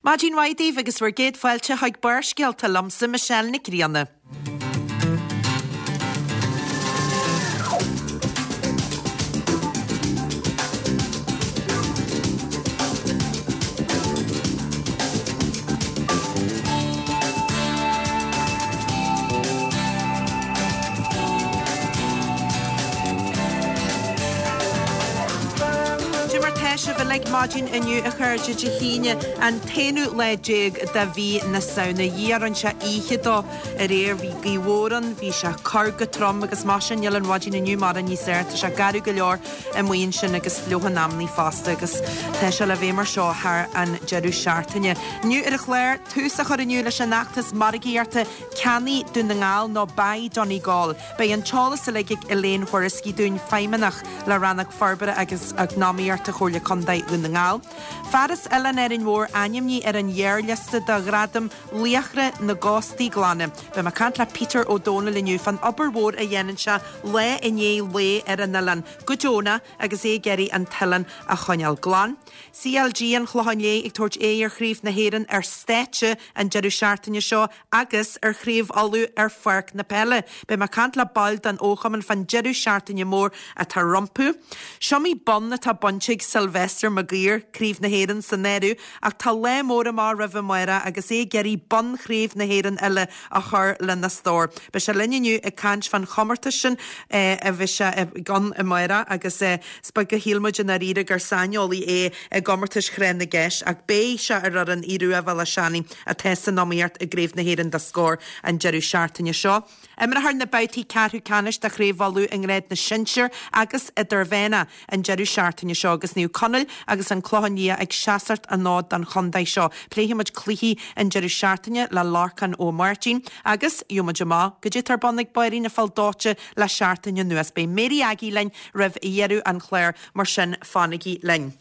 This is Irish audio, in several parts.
Maidin mhaith daoibh agus bhur gcéad fáilte chuig Barrscéalta liomsa, Michelle Nic Grianna. Cad é mar tá sibh uilig maidin inniu a chairde Dé hAoine an t-aonú lá déag de mhí na Samhna. A Dhia rinne sé oíche dó aréir bhí gaoth mhór ann, bhí sé ag cur go trom agus mar sin níl an mhaidin inniu mórán níos fearr, tá sé garbh go leor amuigh ansin agus fliuch in amannaí fosta agus tá sé le bheith mar seo thar an deireadh seachtaine. Inniu ar an chlár, tús á chur inniu leis an fheachtas margaíochta Ceannaigh Dún na nGall nó Buy Donegal. Beidh an t-eolas uilig ag Elaine Whoriskey dúinn, Feidhmeannach le Rannóg Forbartha agus Eacnamaíochta Chomhairle Contae Dhún na nGall. Fear as Oileán Árainn Mhór ainmnithe ar an ghearrliosta do Ghradam Laochra na gCóstaí Glana. Beidh mé ag caint le Peter Ó Dónaill inniu fán obair mhór a dhéanann sé lá i ndiaidh lae ar an oileán go deonach agus é ag iarraidh an t-oileán a choinneáil glan. CLG an Chlocháin Léith ag tabhairt aghaidh ar Chraobh na hÉireann ar stáitse an deireadh seachtaine seo agus ar Chraobh Uladh ar pháirc na peile. Beidh mé ag caint le baill den fhochumann fán deireadh seachtaine mór atá rompu. Is iomaí bonn atá bainte ag Sylvester Maguire, Craobh na hÉireann san áireamh, ach tá lá mór amach roimhe amárach agus é ag iarraidh bonn Chraobh na hÉireann eile a chur lena stór. Beidh sé linn inniu ag caint fán chomórtas sin a bheidh sé ann amárach agus is beag a shíl muid i ndáiríre gur saineolaí é i gcomórtais Thráth na gCeist ach beidh sé ar fhoireann Aodh Rua Bhéal Átha Seanaidh atá san iomaíocht i gCraobh na hÉireann do Scór an deireadh seachtaine seo. Imreofar na babhtaí ceathrú ceannais de Chraobh Uladh i ngrád na sinsear agus idirmheánach an deireadh seachtaine seo agus Naomh Conaill agus an Clochán Liath ag seasacht an fhóid don chontae seo. Pléifidh muid cluichí an deireadh seachtaine le Lorcán Ó Máirtín agus gheobhaidh muid amach goidé atá ar bun ag báirín na Feall Dóite le seachtain anuas. Beidh Mary Aggie linn roimh dheireadh an chláir mar sin fanaigí linn.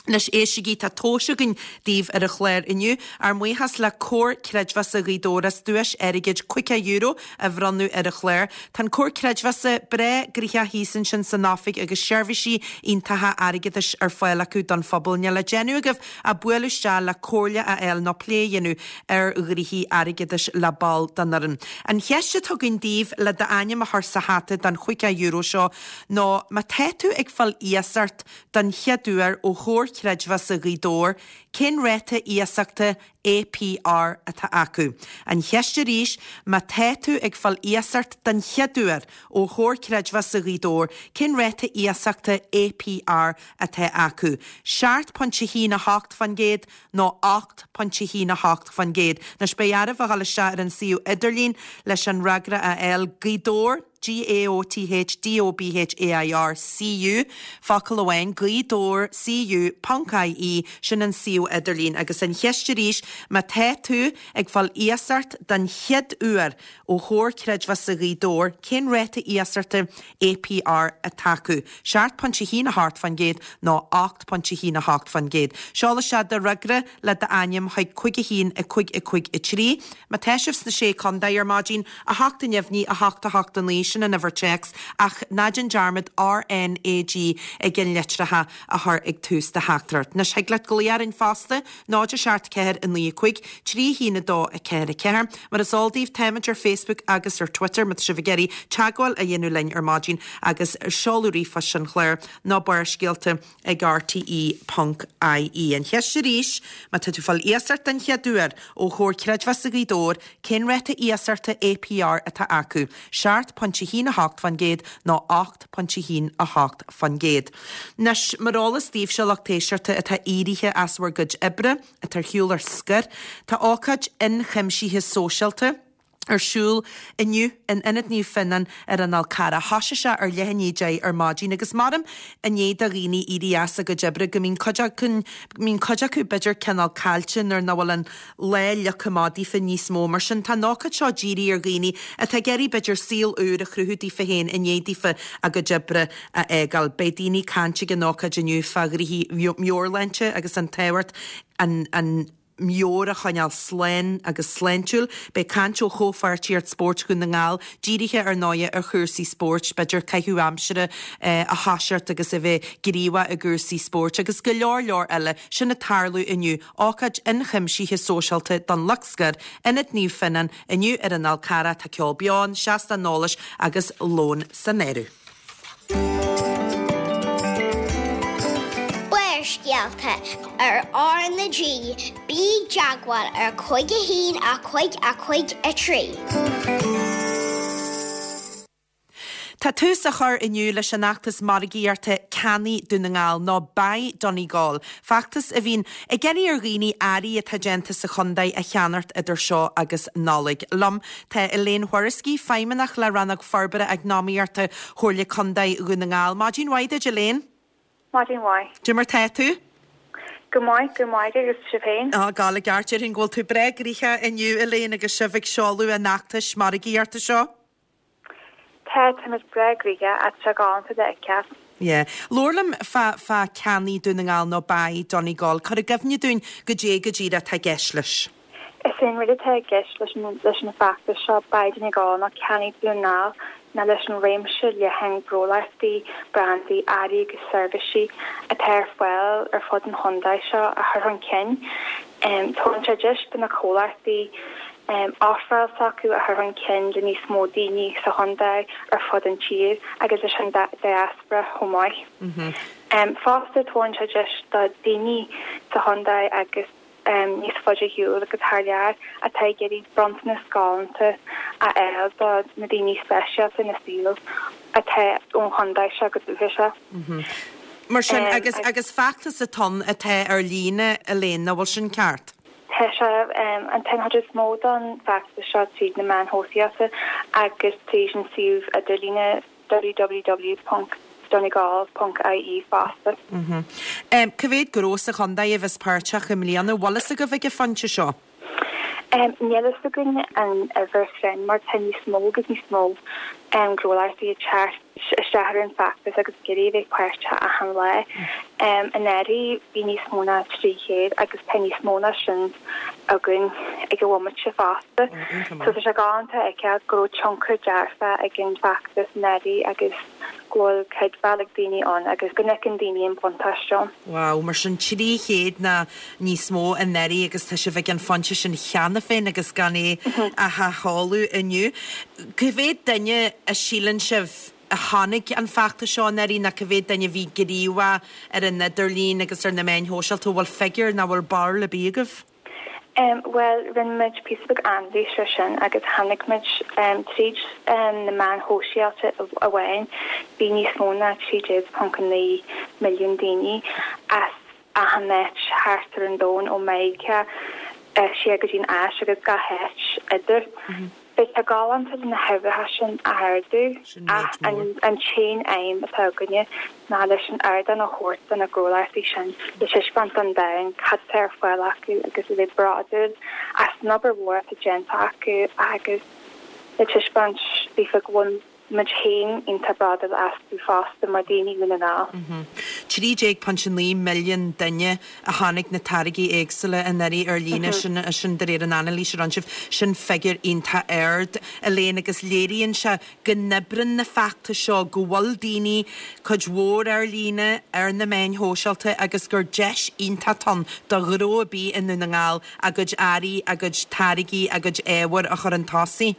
Anois éistigí, tá tomhais againn daoibh ar an chlár inniu. Ár mbuíochas le Comhar Creidmheasa Ghaoth Dobhair as duais airgid €50 a bhronnadh ar an chlár. Tá an Comhar Creidmheasa breá gnoitheach thíos ansin san oifig agus seirbhísí iontacha airgeadais ar fáil acu don phobal. Níl le déanamh agaibh ach bualadh isteach le comhairle a fháil nó plé a dhéanamh ar ghnoithí airgeadais le ball den fhoireann. An cheist atá againn daoibh le d'ainm a chur sa hata don €50 seo ná má tá tú ag fáil iasacht Den chéad uair ó Chomhar Creidmheasa Ghaoth Dobhair, cén ráta iasachta APR atá acu? An cheist arís, má tá tú ag fáil iasacht den chéad uair ó Chomhar Creidmheasa Ghaoth Dobhair, cén ráta iasachta APR atá acu? 7.18% nó 8.18%. Anois beidh oraibh a dhul isteach ar an suíomh idirlín leis an fhreagra a fháil. Gaoth Dobhair. G-A-O-T-H D-O-B-H-A-I-R C-U, focal amháin, Gaoth Dobhair C-U, ponc I-E, sin an suíomh idirlín. Agus an cheist arís, má tá tú ag fáil iasacht den chéad uair ó Chomhar Creidmheasa Ghaoth Dobhair, cén ráta iasachta APR atá acu? 7.18% nó 8.18%? Seol isteach do fhreagra le d'ainm chuig 5 1 5 5 3. Má tá sibh sna Sé Contae ar maidin, 8 neamhní, 8 8 9, sin an uimhir téacs, ach ná déan dearmad RnaG i gceannlitreacha a chur ag tús do theachtaireacht. Anois thig leat glaoch orainn fosta, 0 7 4 9 5 3 1 2 4 4. Mar is eol daoibh, táimid ar Facebook agus ar Twitter má tá sibh ag iarraidh teagmháil a dhéanamh linn ar maidin agus seoladh ríomhphoist an chláir ná Barrscéalta ag rte ponc ie. An cheist arís, má tá tú ag fáil iasacht den chéad uair ó Chomhar Creidmheasa Ghaoth Dobhair, cén ráta iasachta APR atá acu? 7.18% nó 8.18%? Anois, mar eolas daoibhse, lucht éisteachta atá éirithe as bhur gcuid oibre, atá ar shiúl ar scor, tá ócáid ionchuimsithe sóisialta, ar siúl inniu in Ionad Naomh Fionnán ar an Fhál Carrach. Thoisigh sé ar leath i ndiaidh 10 ar maidin agus maram i ndiaidh do dhaoine éirí as a gcuid oibre go mbíonn cuid acu, mbíonn cuid acu b'fhéidir cineál caillte nuair nach bhfuil an lá leagtha amach daofa níos mó. Mar sin tá an ócáid seo dírithe ar dhaoine atá ag iarraidh b'fhéidir saol úr a chruthú daofa féin i ndiaidh daofa a gcuid oibre a fhágáil. Beidh daoine ag caint ag an ócáid inniu fá ghnoithí meabhairshláinte agus an tábhacht an, an. meabhair a choinneáil slán agus sláintiúil. Beidh caint ó Chomhpháirtíocht Spóirt Dhún na nGall, dírithe ar ndóighe ar chúrsaí spóirt, b'fhéidir caitheamh aimsire a thoiseacht agus a bheith gníomhach i gcúrsaí spóirt agus go leor leor eile. Sin ag tarlú inniu. Ócáid ionchuimsithe sóisialta don lucht scoir, Ionad Naomh Fionnán, inniu ar an Fhál Carrach. Tá ceol beo ann, seastán eolais agus lón san áireamh. Barrscéalta ar R na G, bí i dteagmháil ar 5 1 5 5 3. Tá tús á chur inniu leis an fheachtas margaíochta Ceannaigh Dún na nGall nó Buy Donegal, feachtas a bhíonn ag iarraidh ar dhaoine earraí atá déanta sa chontae a cheannacht idir seo agus Nollaig. Liom tá Elaine Whoriskey, Feidhmeannach le Rannóg Forbartha Eacnamaíochta Chomhairle Contae Dhún na nGall. Maidin mhaith duit, Elaine. Maidin mhaith. Cad é mar tá tú? Go maith, go maith agus sibh féin? Á, ag gabháil i gceart. Déarfainn go bhfuil tú breá gnoitheach inniu, Elaine, agus sibh ag seoladh an fheachtais margaíochta seo. Tá, táimid breá gnoitheach, tá sé galánta le feiceáil. Yeah. Labhair liom fá, fá Ceannaigh Dún na nGall nó Buy Donegal. Cuir i gcuimhne dúinn goidé go díreach atá i gceist leis. Is é an rud atá i gceist leis an, leis an bhfeachtas seo, Buy Donegal nó Ceannaigh Dún na nGall, ná leis an réimse leathan gnólachtaí, brandaí, earraí agus seirbhísí atá ar fáil ar fud an chontae seo a chur chun cinn. Tugann sé deis do na comhlachtaí ofráil s'acu a chur chun cinn le níos mó daoine sa chontae, ar fud an tír agus leis an diaspora chomh maith. Fosta, tugann sé deis do daoine sa chontae agus níos faide ar shiúl agus thar lear atá ag iarraidh bronntanas galánta a fháil do na daoine speisialta ina saol atá ón chontae seo go dúchasach. Mar sin, agus, agus feachtas atá ann atá ar líne, Elaine, nach bhfuil sin ceart? Tá sé, an chuid is mó don bhfeachtas seo tríd na meáin shóisialta agus tríd an suíomh idirlíne www.donegal.ie fosta. Cá mhéad gnó sa chontae a bheas páirteach i mbliana? Bhfuil fhios agaibh ag an phointe seo? Níl fhios againn an uimhir chruinn mar tá níos mó agus níos mó gnólachtaí ag teacht isteach ar an bhfeachtas agus ag iarraidh a bheith páirteach achan lá. Anuraidh bhí níos mó ná 300 agus tá níos mó ná sin againn ag an bhomaite fosta. So tá sé galánta a fheiceáil go raibh tionchar dearfach ag an bhfeachtas anuraidh agus go bhfuil creidbheáil ag daoine ann agus go bhfeiceann daoine an buntáiste ann. Wow, mar sin 300 ná níos mó anuraidh agus tá sibh ag an phointe sin cheana féin agus gan é ach á sheoladh inniu. Cá mhéad duine a síleann sibh a chonaic an feachtas seo anuraidh nó cá mhéad duine a bhí gníomhach ar an idirlíon agus ar na meáin shóisialta? An bhfuil figiúr nó an bhfuil barúil ar bith agaibh? Bhuel, rinne muid píosa beag anailís ar sin agus chonaic muid tríd na meáin shóisialta amháin, bhí níos mó ná 13.9 milliún daoine as achan áit thart ar an domhan, ó Meiriceá siar go dtí an Áis agus gach áit idir. Beidh sé galánta le na huimhreacha sin a ardú ach an t-aon aidhm atá againne ná leis an ardán a thabhairt do na gnólachtaí sin le taispeáint don domhan cad atá ar fáil acu agus a bheith bródúil as an obair mhór atá déanta acu agus le taispeáint daofa go bhfuil muid féin iontach bródúil astu fosta mar daoine Dhún na nGall. 13.9 milliún duine a chonaic na táirgí éagsúla anuraidh ar líne, sin, sin de réir an anailís a rinne sibh. Sin figiúr iontach ard, Elaine, agus léiríonn sé go n-oibreann na feachtais seo, go bhfuil daoine, cuid mhór ar líne, ar na meáin shóisialta agus gur deis iontach atá ann do ghnó ar bith i nDún na nGall a gcuid earraí, a gcuid táirgí, a gcuid ábhair a chur chun tosaigh.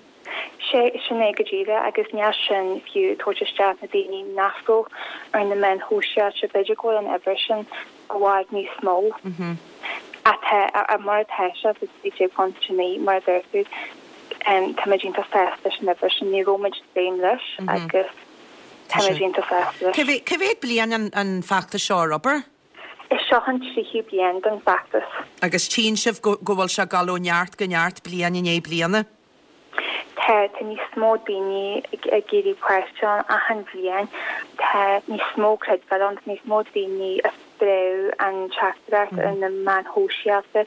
Sé sin é go díreach agus níl sin fiú ag tabhairt isteach na daoine nach raibh ar na meáin shóisialta, b'fhéidir go bhfuil an uimhir sin i bhfad níos mó atá, mar atá sé sa 13.9 mar a deir tú, táimid iontach sásta leis an uimhir sin, ní raibh muid ag dréim leis agus táimid iontach sásta leis. Cá mhéad bliain an feachtas seo ar obair? Is seo an tríú bliain den bhfeachtas. Agus tchíonn sibh go bhfuil sé ag dul ó neart go neart bliain i ndiaidh bliana? Tá, tá níos mó daoine ag iarraidh páirt ann achan bhliain. Tá níos mó creidbheáil ann, tá níos mó daoine a spreag an teachtaireacht ar na meáin shóisialta,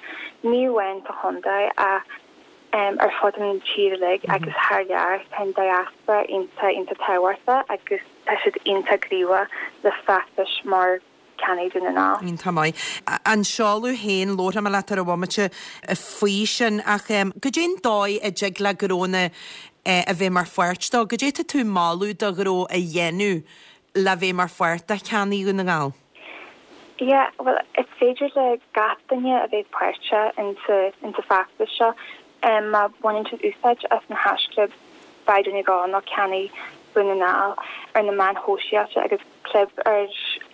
ní amháin sa chontae ach ar fud an tír uilig agus thar lear. Tá an diaspora iontach, iontach tábhachtach agus tá siad iontach gníomhach le feachtais mar. Ceannaigh Dún na nGall. Iontach maith. An seoladh féin, labharfaidh mé leat ar an bhomaite faoi sin ach goidé an dóigh a dtig le gnónna a bheith mar pháirt dó? Goidé tá tú ag moladh do ghnó a dhéanamh le bheith mar pháirt de Cheannaigh Dhún na nGall? Yeah, bhuel is féidir le gach duine a bheith páirteach insa insa feachtas seo. Má bhaineann siad úsáid as an haischlib Buy Donegal nó Ceannaigh Dún na nGall ar na meáin shóisialta agus clib ar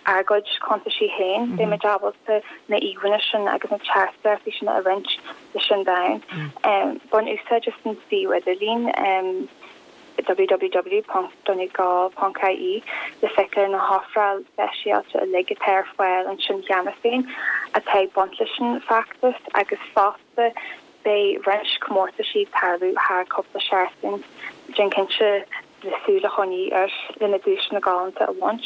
ár gcuid cuntaisí féin, beidh muid ábalta na íomhánna sin agus na teachtaireachtaí sin a roinnt leis an domhan. Bain úsáid as an suíomh idirlín www.donegal.ie le feiceáil na hofráil speisialta uilig atá ar fáil ansin cheana féin atá ag baint leis an bhfeachtas agus fosta beidh roinnt comórtaisí ag tarlú thar cúpla seachtain, déan cinnte le súil a choinní air le na duaiseanna galánta a bhaint.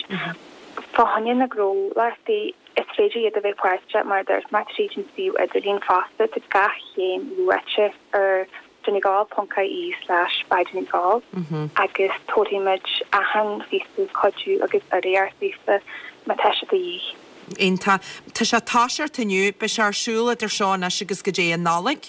Fá choinne na gnólachtaí, is féidir iad a bheith páirteach mar a dúirt mé tríd an suíomh idirlín fosta, tá gach céim luaite ar donegal.ie slash buydonegal agus tabharfaidh muid achan phíosa cuidiú agus urraíocht daofa má tá sé de dhíth. Iontach. Tá sé ag toiseacht inniu, beidh sé ar siúl idir seo anois agus go dtí an Nollaig?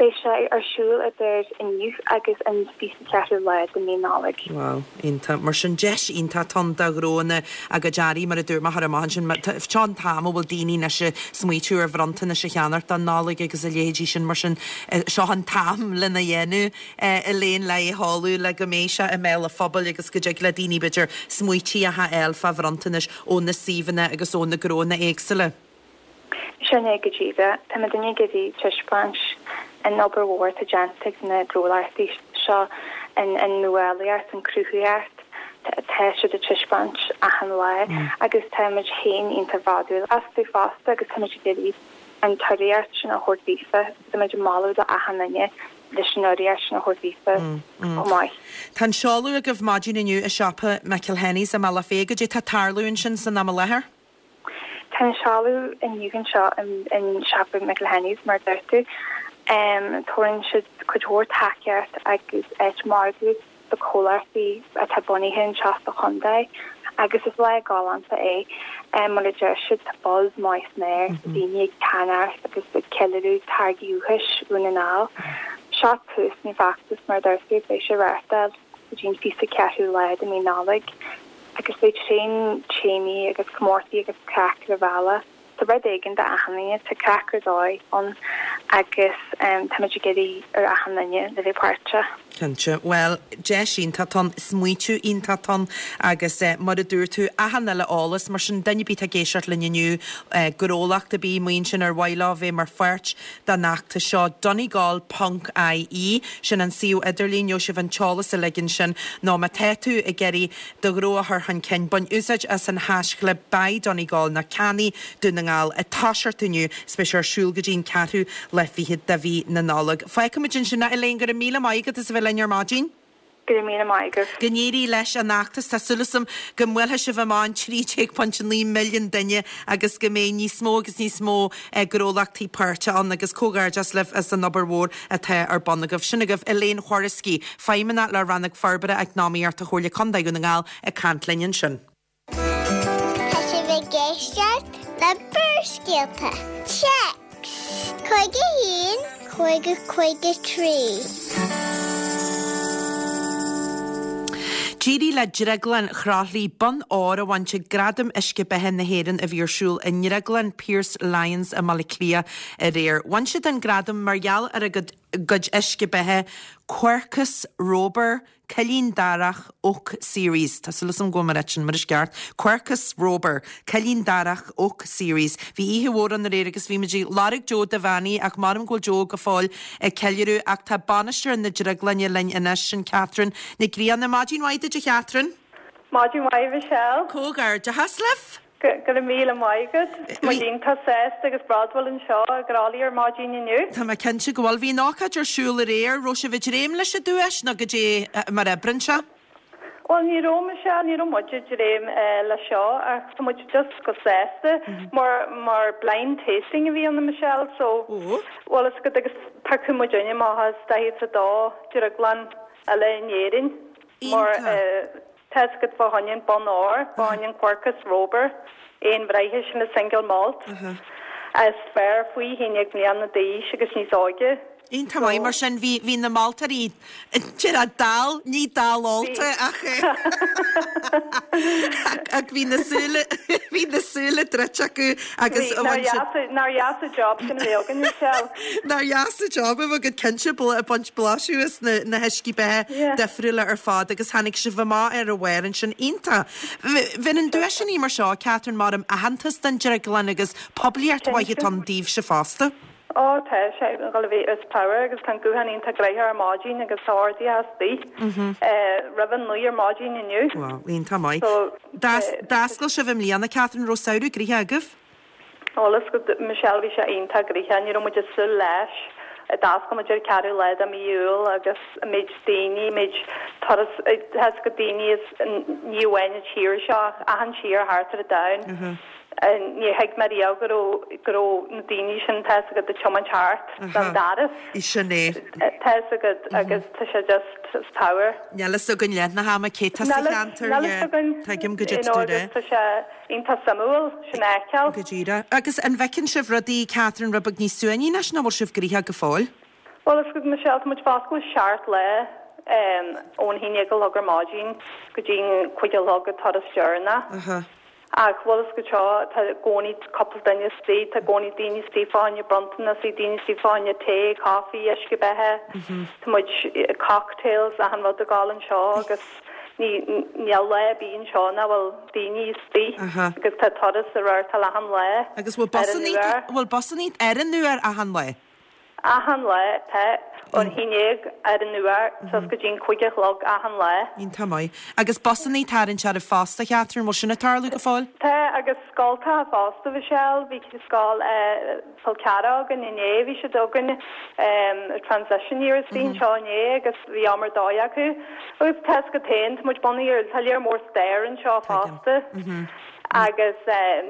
Beidh sé ar siúl idir inniu agus an 24ú lá de mí Nollag. Wow, iontach. Mar sin, deis iontach atá ann do ghnóanna a gcuid earraí, mar a dúirt mé, a chur amach ansin. Seo an t-am a bhfuil daoine anois ag smaoitiú ar bhronntanais a cheannacht don Nollaig agus a leithéidí sin, mar sin, seo an t-am lena dhéanamh, Elaine, le é a sheoladh le go mbeidh sé i mbéal an phobail agus go dtig le daoine, b'fhéidir, smaoití a fháil fá bhronntanais ó na suíomhanna agus ó na gnóanna éagsúla. Sin é go díreach. Tá muidinne ag iarraidh taispeáint an obair mhór atá déanta ag na gnólachtaí seo, an nuálaíocht, an cruthaitheacht atá siad ag taispeáint achan lá agus tá muid féin iontach bródúil astu fosta agus tá muid ag iarraidh an t-urraíocht sin a thabhairt daofa. Tá muid ag moladh do achan duine leis an urraíocht sin a thabhairt daofa chomh maith. Tá an seoladh agaibh maidin inniu i siopa McElhenney's i mBealach Féich. Goidé tá ag tarlú ansin san am i láthair? Tá an seoladh inniu anseo in siopa McElhenney's, mar a dúirt tú. Tabharann siad cuid mhór tacaíocht agus áit margaidh do chomhlachtaí atá bunaithe anseo sa chontae agus is lá galánta é. Mar a deir siad, tá buzz maith san aer, tá daoine ag ceannacht agus ag ceiliúradh táirgí dúchais Dhún na nGall. Seo tús an feachtas, mar a dúirt tú, beidh sé reáchtáil go dtí an 24ú lá de mí Nollag. Agus beidh tréan téamaí agus comórtaí agus craic ar an bhealach. Tá rud éigin do achan duine, tá craic ar dóigh ann agus táimid ag iarraidh ar achan duine le bheith páirteach. Cinnte. Bhuel, deis iontach atá ann, smaoitiú iontach atá ann agus mar a dúirt tú, achan uile eolas, mar sin duine ar bith atá ag éisteacht linn inniu, gnólacht ar bith amuigh ansin ar mhaith leo bheith mar pháirt den fheachtas seo, donegal ponc ie, sin an suíomh idirlín, gheobhaidh sibh an t-eolas uilig ansin, nó má tá tú ag iarraidh do ghnó a chur chun cinn, bain úsáid as an haischlib Buy Donegal nó Ceannaigh Dún na nGall, ag toiseacht inniu, is beidh sé ar siúl go dtí an ceathrú lá fichead de mhí na Nollag. Fágfaimid ansin é, Elaine, go raibh míle maith agat as a bheith linn ar maidin. Go raibh míle maith agat. Go n-éirí leis an fheachtas. Tá súil agam go mbuailfidh sibh amach an 13.9 milliún duine agus go mbeidh níos mó agus níos mó gnólachtaí páirteach ann agus comhghairdeas libh as an obair mhór atá ar bun agaibh. Sin agaibh Elaine Whoriskey, Feidhmeannach le Rannóg Forbartha Eacnamaíochta Chomhairle Contae Dhún na nGall ag caint linn ansin. Tá sibh ag éisteacht le Barrscéalta. Téacs 51 50 53. D'éirigh le Drioglann Chroithlí bonn óir a bhaint ag Gradaim Uisce Beatha na hÉireann a bhí ar siúl i nDrioglann Pearse Lyons i mBaile Átha Cliath aréir. Bhain siad an gradam mar gheall ar a gcuid uisce beatha Quercus Robur Cillín Darach Oak Series, tá súil agam go bhfuil mé ag ráit sin mar is ceart, Quercus Robur, Cillín Darach Oak Series. Bhí oíche mhór ann aréir agus bhí muid ag lorg Joe Devaney ach measaim go bhfuil Joe go fóill ag ceiliúradh ach tá bainisteoir na drioglainne linn anois, sin Catherine Nic Grianna. Maidin mhaith duit a Chatherine. Maidin mhaith Michelle. Comhghairdeachas libh! Go raibh míle maith agat. Tá muid iontach sásta agus bródúil anseo i gCroithlí ar maidin inniu. Tá mé cinnte go bhfuil. Bhí an ócáid ar siúl aréir. Raibh sibh ag dréim leis an duais nó goidé mar a oibreann sé? Bhuel, ní raibh Michelle, ní raibh muid ag dréim leis seo ach tá muid just go sásta mar mar blind tasting a bhí ann Michelle so bhfuil fhios agat agus piocadh muidinne amach as 42 drioglann eile in Éirinn mar Iontach. Tá's agat fá choinne an bonn óir, fá choinne an Quercus Robur, aon bhraithe sin an single malt is fearr faoi 11 mbliana d'aois agus níos óige. Iontach maith, mar sin bhí bhí na moltóirí déarfá dall, ní dall ólta ach ach bhí na súile bhí na súile druidte acu agus Bhí, nár dheas nár dheas an job sin a bheith againn, Michelle. Nár dheas an job a bheith agat cinnte ag baint blaiseadh as na na huiscí beatha difriúla ar fad agus tháinig sibh amach ar a bharr ansin. Iontach. Bheireann duaiseanna mar seo, Catherine, maram aitheantas don drioglann agus poiblíocht mhaith atá ann daoibhse fosta. Ó tá sé ag dul a bheith is power agus tá an guthán iontach gnoitheach ar maidin agus tá ardaithe istigh roimh an naoi ar maidin inniu. Wow, iontach maith. D'oscail sibh i mbliana, Catherine, raibh samhradh gnoitheach agaibh? Bhuel is go, Michelle, bhí sé iontach gnoitheach, ní raibh muid ag súil leis. D'oscail muid ar an ceathrú lá de mí Iúil agus an méid daoine, an méid turas, tá's agat daoine as ní amháin an tír seo ach achan tír thart ar an domhan. Níor thuig mé riamh go raibh, go raibh na daoine sin, tá's agat, ag tiomáint thart don doras. Sin é. Tá's agat agus tá sé just, it's power. Níl fhios againn leath na hama cé tá sa cheantar, Níl fhios againn. Tuigim goidé tá tú a rá. Tá sé Iontach suimiúil sin a fheiceáil. Go díreach. Agus an bhfeiceann sibh rudaí, Catherine, rud beag níos suaimhní anois nó bhfuil sibh gnoitheach go fóill? Bhuel, is Michelle, tá muid foscailte seacht lá, ón haon déag a chlog ar maidin go dtí an cúig a chlog an turas deireanach. Ach bhuel is go seo, tá i gcónaí cúpla duine istigh, tá i gcónaí daoine istigh fá choinne bronntanas, daoine istigh fá choinne tae, coffee, uisce beatha, tá muid, cocktails, achan rud ag gabháil anseo agus níl lá ar bith anseo nach bhfuil daoine istigh agus tá turas ag reáchtáil achan lá Agus bhfuil ar an busannaí, uair. bhfuil busannaí ar an uair achan lá? Achan lá, tá. Ón haon déag ar an uair suas go dtí an cúig a chlog achan lá. Iontach maith. Agus busannaí tarraingt oraibh fosta, Catherine, bhfuil sin ag tarlú go fóill? Tá, agus scoltacha fosta, Michelle, bhí scoil Chol Ceathracha againn inné, bhí siad againn transition year istigh anseo inné agus bhí am ar dóigh acu. Agus tá's agat féin, tá muid bunaithe ar, tá léar mór stair anseo fosta agus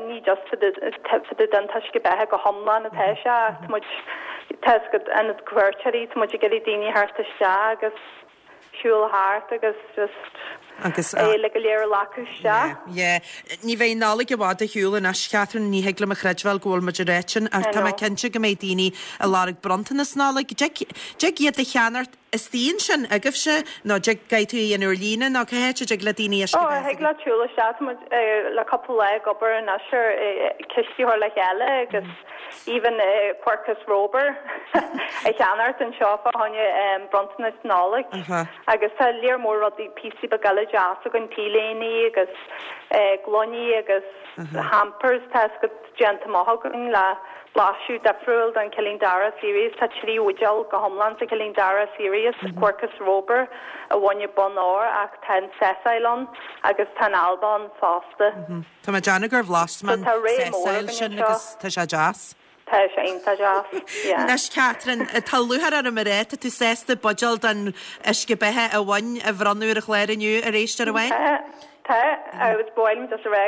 ní just fá dtaobh den t-uisce beatha go hiomlán atá sé ach tá muid, tá's agat, ionad cuairteoirí, tá muid ag iarraidh daoine a thabhairt isteach agus siúl thart agus just Agus é uilig go léir a ghlacadh isteach. Yeah, yeah. Ní bheidh an Nollaig i bhfad ar shiúl anois, Catherine, ní thig liom a chreidbheáil go bhfuil muid ar áit sin, ach tá mé cinnte go mbeidh daoine ag lorg bronntanas Nollag. Dtig, dtig iad a cheannacht istigh ansin agaibhse, nó dtig, caithfidh tú a dhéanamh ar líne, nó cá háit a dtig le daoine uisce Ó, beatha thig leat siúl isteach, tá muid le cúpla lá ag obair anois ar cistí a chur le chéile agus even Quercus Robur a cheannacht anseo fá choinne bronntanas Nollag agus tá léar mór rudaí píosaí beaga eile deas againn, t-léiní agus gloiní agus hampers tá's agat déanta amach againn le blaiseadh difriúil den Cillín Dara Series. Tá 3 bhuidéal go hiomlán sa Cillín Dara Series, Quercus Robur a bhain an bonn óir ach tá an Sessile ann agus tá an Alba ann fosta. Tá mé ag déanamh gur bhlais mé So an tá ré mór Sessile againn sin anseo. agus tá sé deas. Tá sé iontach deas, yeah. Anois Catherine, tá lúcháir orm a rá, tá tú sásta buidéal den uisce beatha a bhain a bhronnadh ar an chlár inniu ar éisteoir amháin? Tá, tá, agus ba mhaith liom just a rá,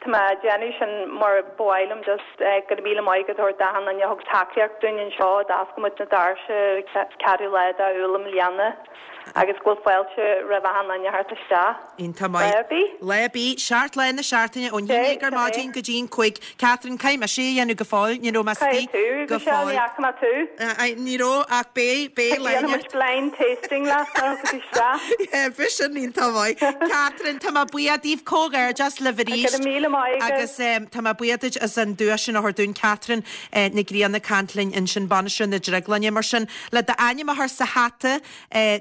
tá mé ag déanamh sin mar ba mhaith liom just go raibh míle maith agat a thabhairt d'achan duine a thug tacaíocht dúinn anseo, d'oscail muid na doirse ar an ceathrú lá d'Iúil i mbliana. Agus go bhfuil fáilte roimh achan duine a theacht isteach. Iontach maith. Lá ar bith. Lá ar bith. Seacht lá na seachtaine ón haon déag ar maidin go dtí an cúig. Catherine, caithfidh mise é a dhéanamh go fóill. Ní raibh mé Caithfidh istigh tú, go Michelle, ní fóill. fhaca mé tú. Ní raibh ach beidh, beidh lá Déanfaidh muid blind tasting leat nuair a thiocfaidh tú isteach. Yeah, bheadh sin iontach maith. Catherine, tá mé buíoch díbh. Comhghairdeas libh arís. Go raibh míle maith agat. Agus tá mé buíoch duit as an duais sin a thabhairt dúinn. Catherine Nic Grianna ag caint linn ansin, bainisteoir na Drioglainne. Mar sin, Le d'ainm a chur sa hata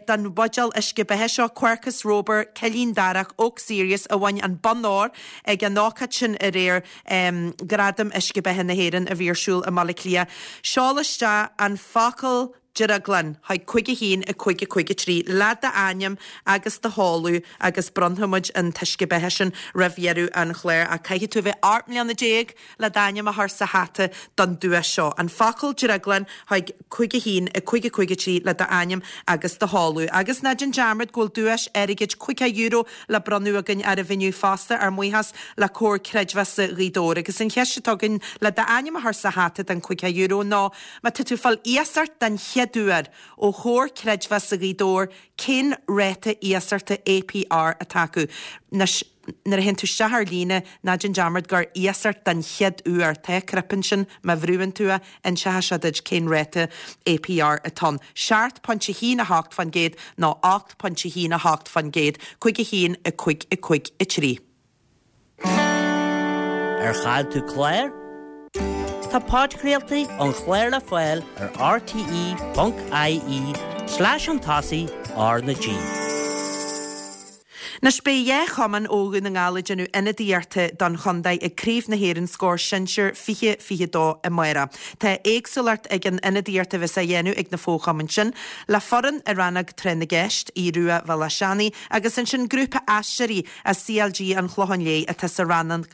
don bhuidéal uisce beatha seo, Quercus Robur, Cillín Darach, Oak Series, a bhain an bonn óir ag an ócáid sin aréir, Gradaim Uisce Beatha na hÉireann a bhí ar siúl i mBaile Átha Cliath. Seol isteach an focal drioglann chuig 5 1 5 5 3 le d'ainm agus do sheoladh agus bronnfaidh muid an t-uisce beatha sin roimh dheireadh an chláir ach caithfidh tú a bheith 18 mbliana le d'ainm a chur sa hata don duais seo. An focal drioglann chuig 5 1 5 5 3 le d'ainm agus do sheoladh. Agus ná déan dearmad go bhfuil duais airgid €50 le bronnadh againn oraibh inniu fosta, ár mbuíochas le Comhar Creidmheasa Ghaoth Dobhair. Agus an cheist atá againn le d'ainm a chur sa hata don €50 ná, má tá tú ag fáil iasacht den chéad. chéad uair ó Chomhar Creidmheasa Ghaoth Dobhair cén ráta iasachta APR atá acu. Anois, nuair a théann tú isteach ar líne, ná déan dearmad gur iasacht den chéad uair, tá cnaipe ansin, má bhrúann tú é, inseoidh sé duit cén ráta APR atá ann. 7.18% nó 8.18%, 5 1 5 5 3. Ar chaill tú clár? Tá podchraoltaí an chláir le fáil ar rte.ie slash chun tosaigh R na G. Anois beidh 2 chumann ó Dhún na nGall ag déanamh ionadaíochta don chontae ag Craobh na hÉireann Scór Sinsir 2022 amárach. Tá éagsúlacht ag an ionadaíocht a bheas á dhéanamh ag na fo-chumainn sin, le foireann i rannóg Tráth na gCeist, Aodh Rua Bhéal Átha Seanaidh, agus ansin grúpa aisteoirí as CLG an Chlocháin Léith atá sa rannóg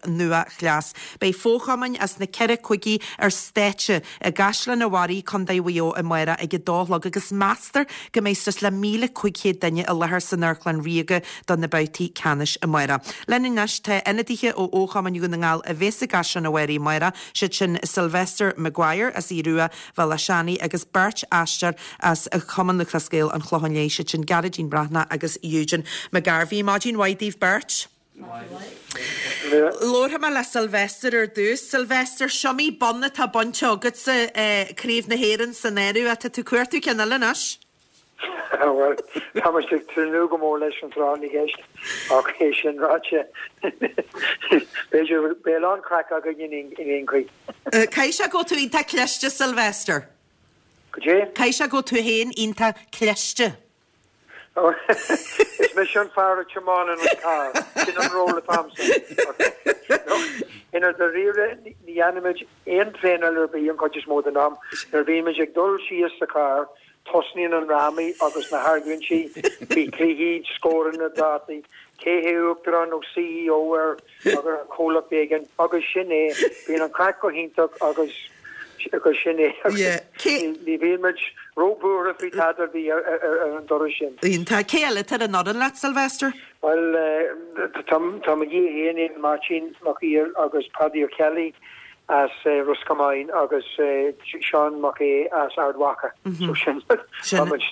Nua-Chleas. Beidh fo-chumainn as na ceithre cúigí ar stáitse i gCaisleán an Bharraigh, Contae Mhaigh Eo amárach ag a dó a chlog agus meastar go mbeidh suas le 1,500 duine i láthair san Amharclann Ríoga do na babhtaí ceannais amárach. Linn anois tá ionadaithe ó fho-chumainn Dhún na nGall a bheas i gCaisleán an Bharraigh amárach, siad sin Sylvester Maguire as Aodh Rua, Bhéal Átha Seanaidh agus beirt aisteoir as Cumann Lúthchleas Gael an Chlocháin Léith, siad sin Gearóidín Breathnach agus Eugene McGarvey. Maidin mhaith daoibh beirt. Labharfaidh mé le Sylvester ar dtús. Sylvester, s'iomaí bonn atá bainte agatsa, Craobh na hÉireann san áireamh, ach tá tú ag cuartú ceann eile anois. Bhuel, tá muid ag tnúth go mór leis an tráth na gceist ach é sin ráite, b'fhéidir, beidh a lán craic againn in aon chaoi. Caithfidh sé go bhfuil tú iontach cliste, Sylvester. Goidé? Caithfidh sé go bhfuil tú féin iontach cliste. Is mise an fear a tiomáineann an carr, sin an ról atá a'msa. I ndáiríre, ní dhéanaimid aon traenáil ar bith an chuid is mó den am. Nuair a bhímid ag dul síos sa charr, tosnaíonn an drámaí agus na hargóintí faoi chluichí, scóranna, dátaí, cé hé uachtarán nó CEO ar ar chomhlacht éigin agus sin é. Bíonn an craic go hiontach agus agus sin é. Ní bhíonn muid róbhuartha faoi tada ar bith ar an dturas sin. Iontach. Cé eile atá ar an fhoireann leat, Sylvester? Bhuel, tá mo dhia féin, Éamonn Máirtín Mac Uidhir agus Paddy O'Kelly as Ros Comáin agus Seán Mac Aodha as Ard Mhacha. So sin, tá muid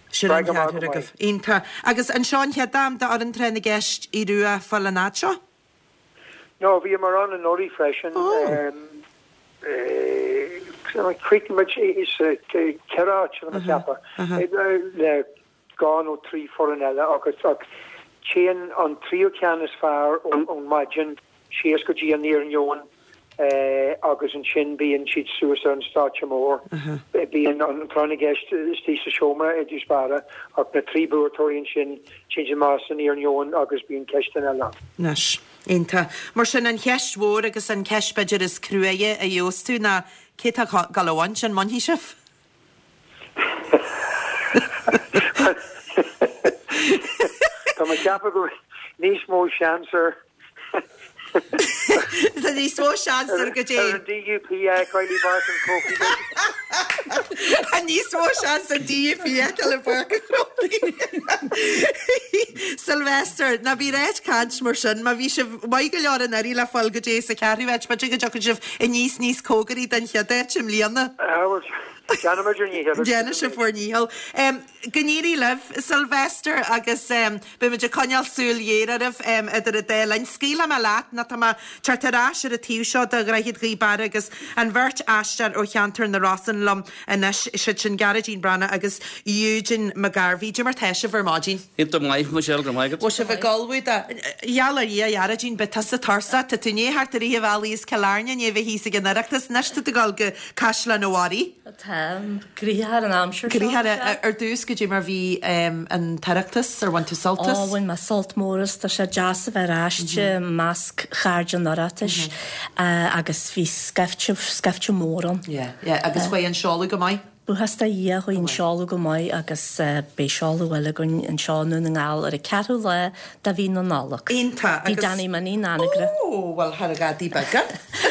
Sin an ceathrar agaibh. Iontach. Agus an seo an chéad am d'fhoireann Tráth na gCeist Aodh Rua fáil an fhad seo? No, bhíomar ann anuraidh freisin. Chríochnaigh muid sa cheithre áit, tá mé ag ceapadh, le dhá nó trí foireann eile agus téann an tríú ceann is fearr ón maidin síos go dtí an iarnóin agus ansin bíonn siad suas ar an stáitse mór. Bíonn an tráth na gceist istigh sa seomra i dtús báire ach na trí buaiteoirí ansin téann siad amach san iarnóin agus bíonn ceisteanna eile ann. Anois. Iontach. Mar sin, an cheist mhór agus an cheist b'fhéidir is cruaidhe a gheobhas tú ná cé tá ag gabháil a bhaint, an mbainfidh sibh? Tá mé ag ceapadh go bhfuil níos mó seans ar Tá níos mó seans ar go dté. Ar an DUP a fheiceáil i bPáirc an Chrócaigh. Tá níos mó seans an DUP a fheiceáil i bPáirc an Chrócaigh. Sylvester, ná bí ag caint mar sin, má bhí sibh maith go leor anuraidh le fáil go dté sa cheathrú háit, b'fhéidir go dtiocfaidh sibh aníos níos cóngaraí don chéad áit i mbliana. Déanfaimid ár ndícheall. Déanfaidh sibh bhur ndícheall. Go n-éirí libh, Sylvester, agus beimid ag coinneáil súil ghéar oraibh idir an dá linn. Scaoilfidh mé leat nó tá mé ag teacht ar ais ar an taobh seo de Dhroichead Ghaoth Beara agus an bheirt aisteoir ó cheantar na Rosann liom anois, siad sin Gearóidín Breathnach agus Eugene McGarvey. Cad é mar tá sibh ar maidin? Iontach maith, Michelle, go raibh maith agat. Bhfuil sibh ag ullmhú do. Gheall ar Dhia, a Ghearóidín, beidh tusa tuirseach. Tá tú i ndiaidh theacht i rith an bhealaigh as Cill Airne, i ndiaidh a bheith thíos ag an Oireachtas, anois tá tú ag dul go Caisleán an Bharraigh. Táim gnoitheach ar an aimsir seo. Gnoitheach ar dtús, cad é mar bhí an tOireachtas, ar bhain tú sult as? Ó, bhain mé sult mór as, tá sé deas a bheith ar ais i measc chairde an Oireachtais agus bhí scaifte, scaifte mór ann. Yeah, yeah, agus chuaigh an seoladh go maith? Buíochas do Dhia, chuaigh an seoladh go maith agus beidh seoladh eile againn anseo i nDún na nGall ar an ceathrú lá de mhí na Nollag. Iontach, agus. Tigh Danny Minnie in Anagaire. Ó, bhuel, thar a ghadaí beaga.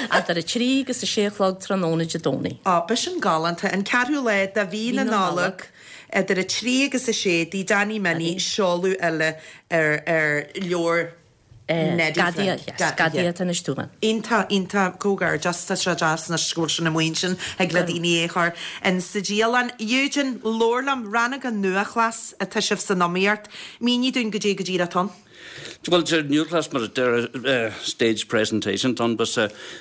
Idir 3 agus 6 a chlog tráthnóna Dé Domhnaigh. Ó, b'shin galánta. An ceathrú lá de mhí na Nollag, idir 3 agus 6, Tigh Danny Minnie, seoladh eile ar ar leabhar. Gadaí, yes, gadaí atá anois dúinn. Iontach, iontach, comhghairdeas, tá sé deas anois go bhfuil sin amuigh ansin, thig le daoine é a chur in sa dialann. Eugene, labhair liom, Rannóg an Nuachleas atá sibh san iomaíocht, mínigh dúinn goidé go díreach atá ann. Bhuel, sé Nuachleas mar a deir stage presentation atá ann, but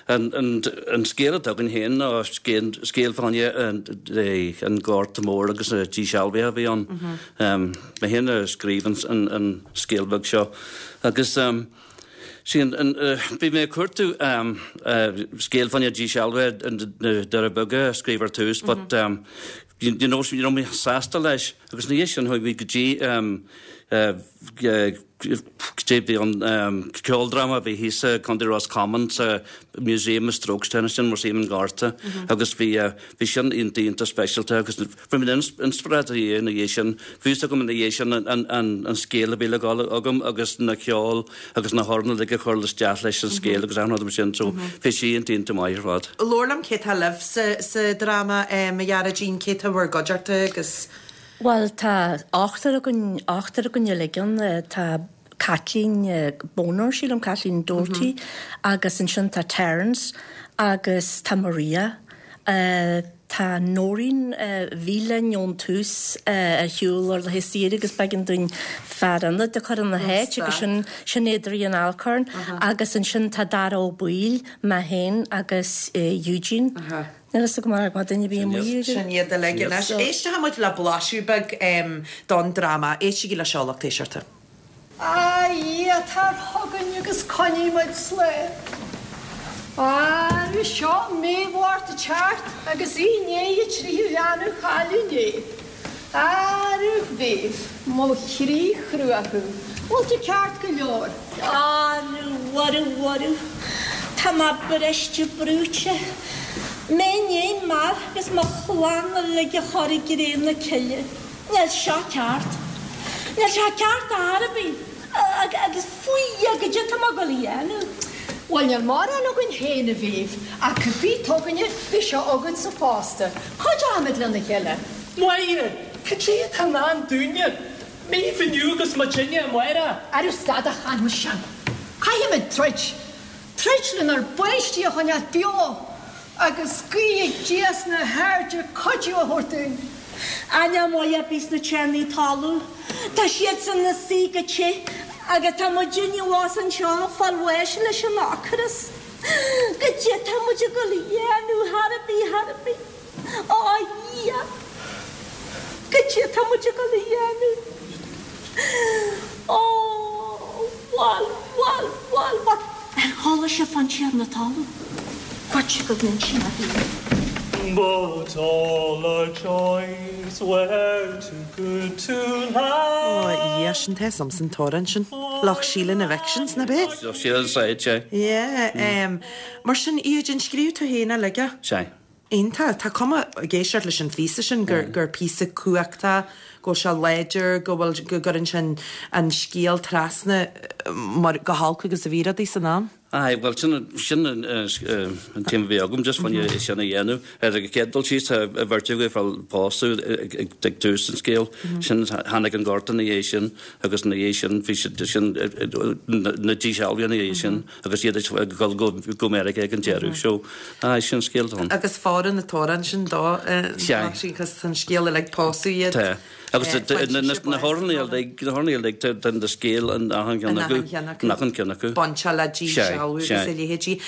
an scéal atá againn féin ná scéal fá choinne an Gorta Mór agus na dísealbhaithe a bhí ann. Mé féin a scríobh an scéal beag seo agus sí an, bhí mé ag cuartú scéal fá choinne dísealbhaithe na Doirí Beaga a scríobh ar tús but you know ní raibh mé sásta leis agus ina dhiaidh sin chuaigh mé go dtí go dtí an ceoldráma a bhí thíos i Contae Ros Comáin sa Museum of Strokestown, sin Músaem an Ghorta agus bhí bhí sin iontach iontach speisialta agus Fuair mé inspioráid ina dhiaidh sin. Bhí fhios agam ina dhiaidh sin an scéal a bhí le gabháil agam agus na ceol agus na hamhráin uilig a chur isteach leis an scéal agus achan rud mar sin so bhí sé iontach iontach maith ar fad. Labhair liom cé tá libh sa dráma a Ghearóidín, cé tá bhur gcuideachta agus. Bhuel tá ochtar againn, ochtar againn uilig ann, tá Caitlín Boner, sílim, Caitlín Doherty agus ansin tá Terence agus tá Maria. Tá Noreen a bhí linn ón tús ar shiúl ar laetha saoire agus b'éigean dúinn fear ionaid a chur ina háit agus sin sin Adrian Alcorn agus ansin tá Dara Ó Baoill, mé féin agus Eugene. Níl fhios agam ar fhág mé duine ar bith amuigh Eugene. Sin iad uilig anois. Éistfidh muid le blaiseadh beag don dráma. Éistigí le seo, lucht éisteachta. A Dhia, tar chugainn agus coinnigh muid slán. Arú seo mí Mhárta ag teacht agus í i ndiaidh a tríú leanbh a chailleadh inné. Arú Mhéabh, mo chroí chrua thú, bhfuil tú ceart go leor? Arú, arú, arú, tá mé briste brúite. Mé i ndiaidh m'fhear agus mo chlann uilig a chur i gcré na cille. Níl seo ceart. Níl sé ceart ar chor ar bith. Agus faoi Dhia, goidé tá mé ag dul a dhéanamh? Bhuel, níl mórán againn féin, a Mhéabh, ach cibé atá againne, beidh sé agatsa fosta. Cuideoimid lena chéile. Máire, cad é atá i ndán dúinne? Méabh inniu agus muidinne amárach. Arú stad a chanadh sin. Caithfimid troid. Troid lenár bpáistí a choinneáil beo agus guí ag Dia sna hairde cuidiú a thabhairt dúinn. Á níl maith ar bith sna tiarnaí talún. Tá siadsan ina suí go te agus tá muidinne abhus anseo ag fáil bháis leis an ocras. Goidé tá muid ag dul a dhéanamh chor ar bith, chor ar bith. Á a Dhia! Goidé tá muid ag dul a dhéanamh? Ó, bhuel, bhuel, bhuel, bhuel. Ar chuala sibh fán tiarna talún? Cuirte go n-insí mé féin. But all our joys were too good to last. Ó, a Dhia, sin tá fhios a'msa an t-amhrán sin. Loch Síle na Vixens, nach b'é? Loch Síle an Side, sea. Yeah, mar sin, Eugene, scríobh tú féin é uilig? Sea. Iontach. Tá cuma, ag éisteacht leis an phíosa sin, gur gur píosa cumhachtach, go bhfuil sé láidir, go bhfuil, go gcuireann sé an an scéal trasna mar go holc agus a bhí rudaí san am. Aye, bhuel sin sin an an téama a bhí agam, just fá choinne é sin a dhéanamh. Ar an gcéad dul síos, tá an bheirt acu ag fáil pósadh ag ag tús an scéil. Sin tháinig an gorta ina dhiaidh sin agus ina dhiaidh sin bhí siad sin na dísealbhaithe ina dhiaidh sin. Agus iad ag dul go Meiriceá ag an deireadh. So, aye, sin an scéal atá ann. Agus fóireann an t-amhrán sin dó, cos tá an scéal uilig pósadh iad. Tá. Agus na hamhráin uilig, na hamhráin uilig, tá an scéal in achan cheann acu. In achan cheann acu. Bainteach le dísealbhú agus a leithéidí.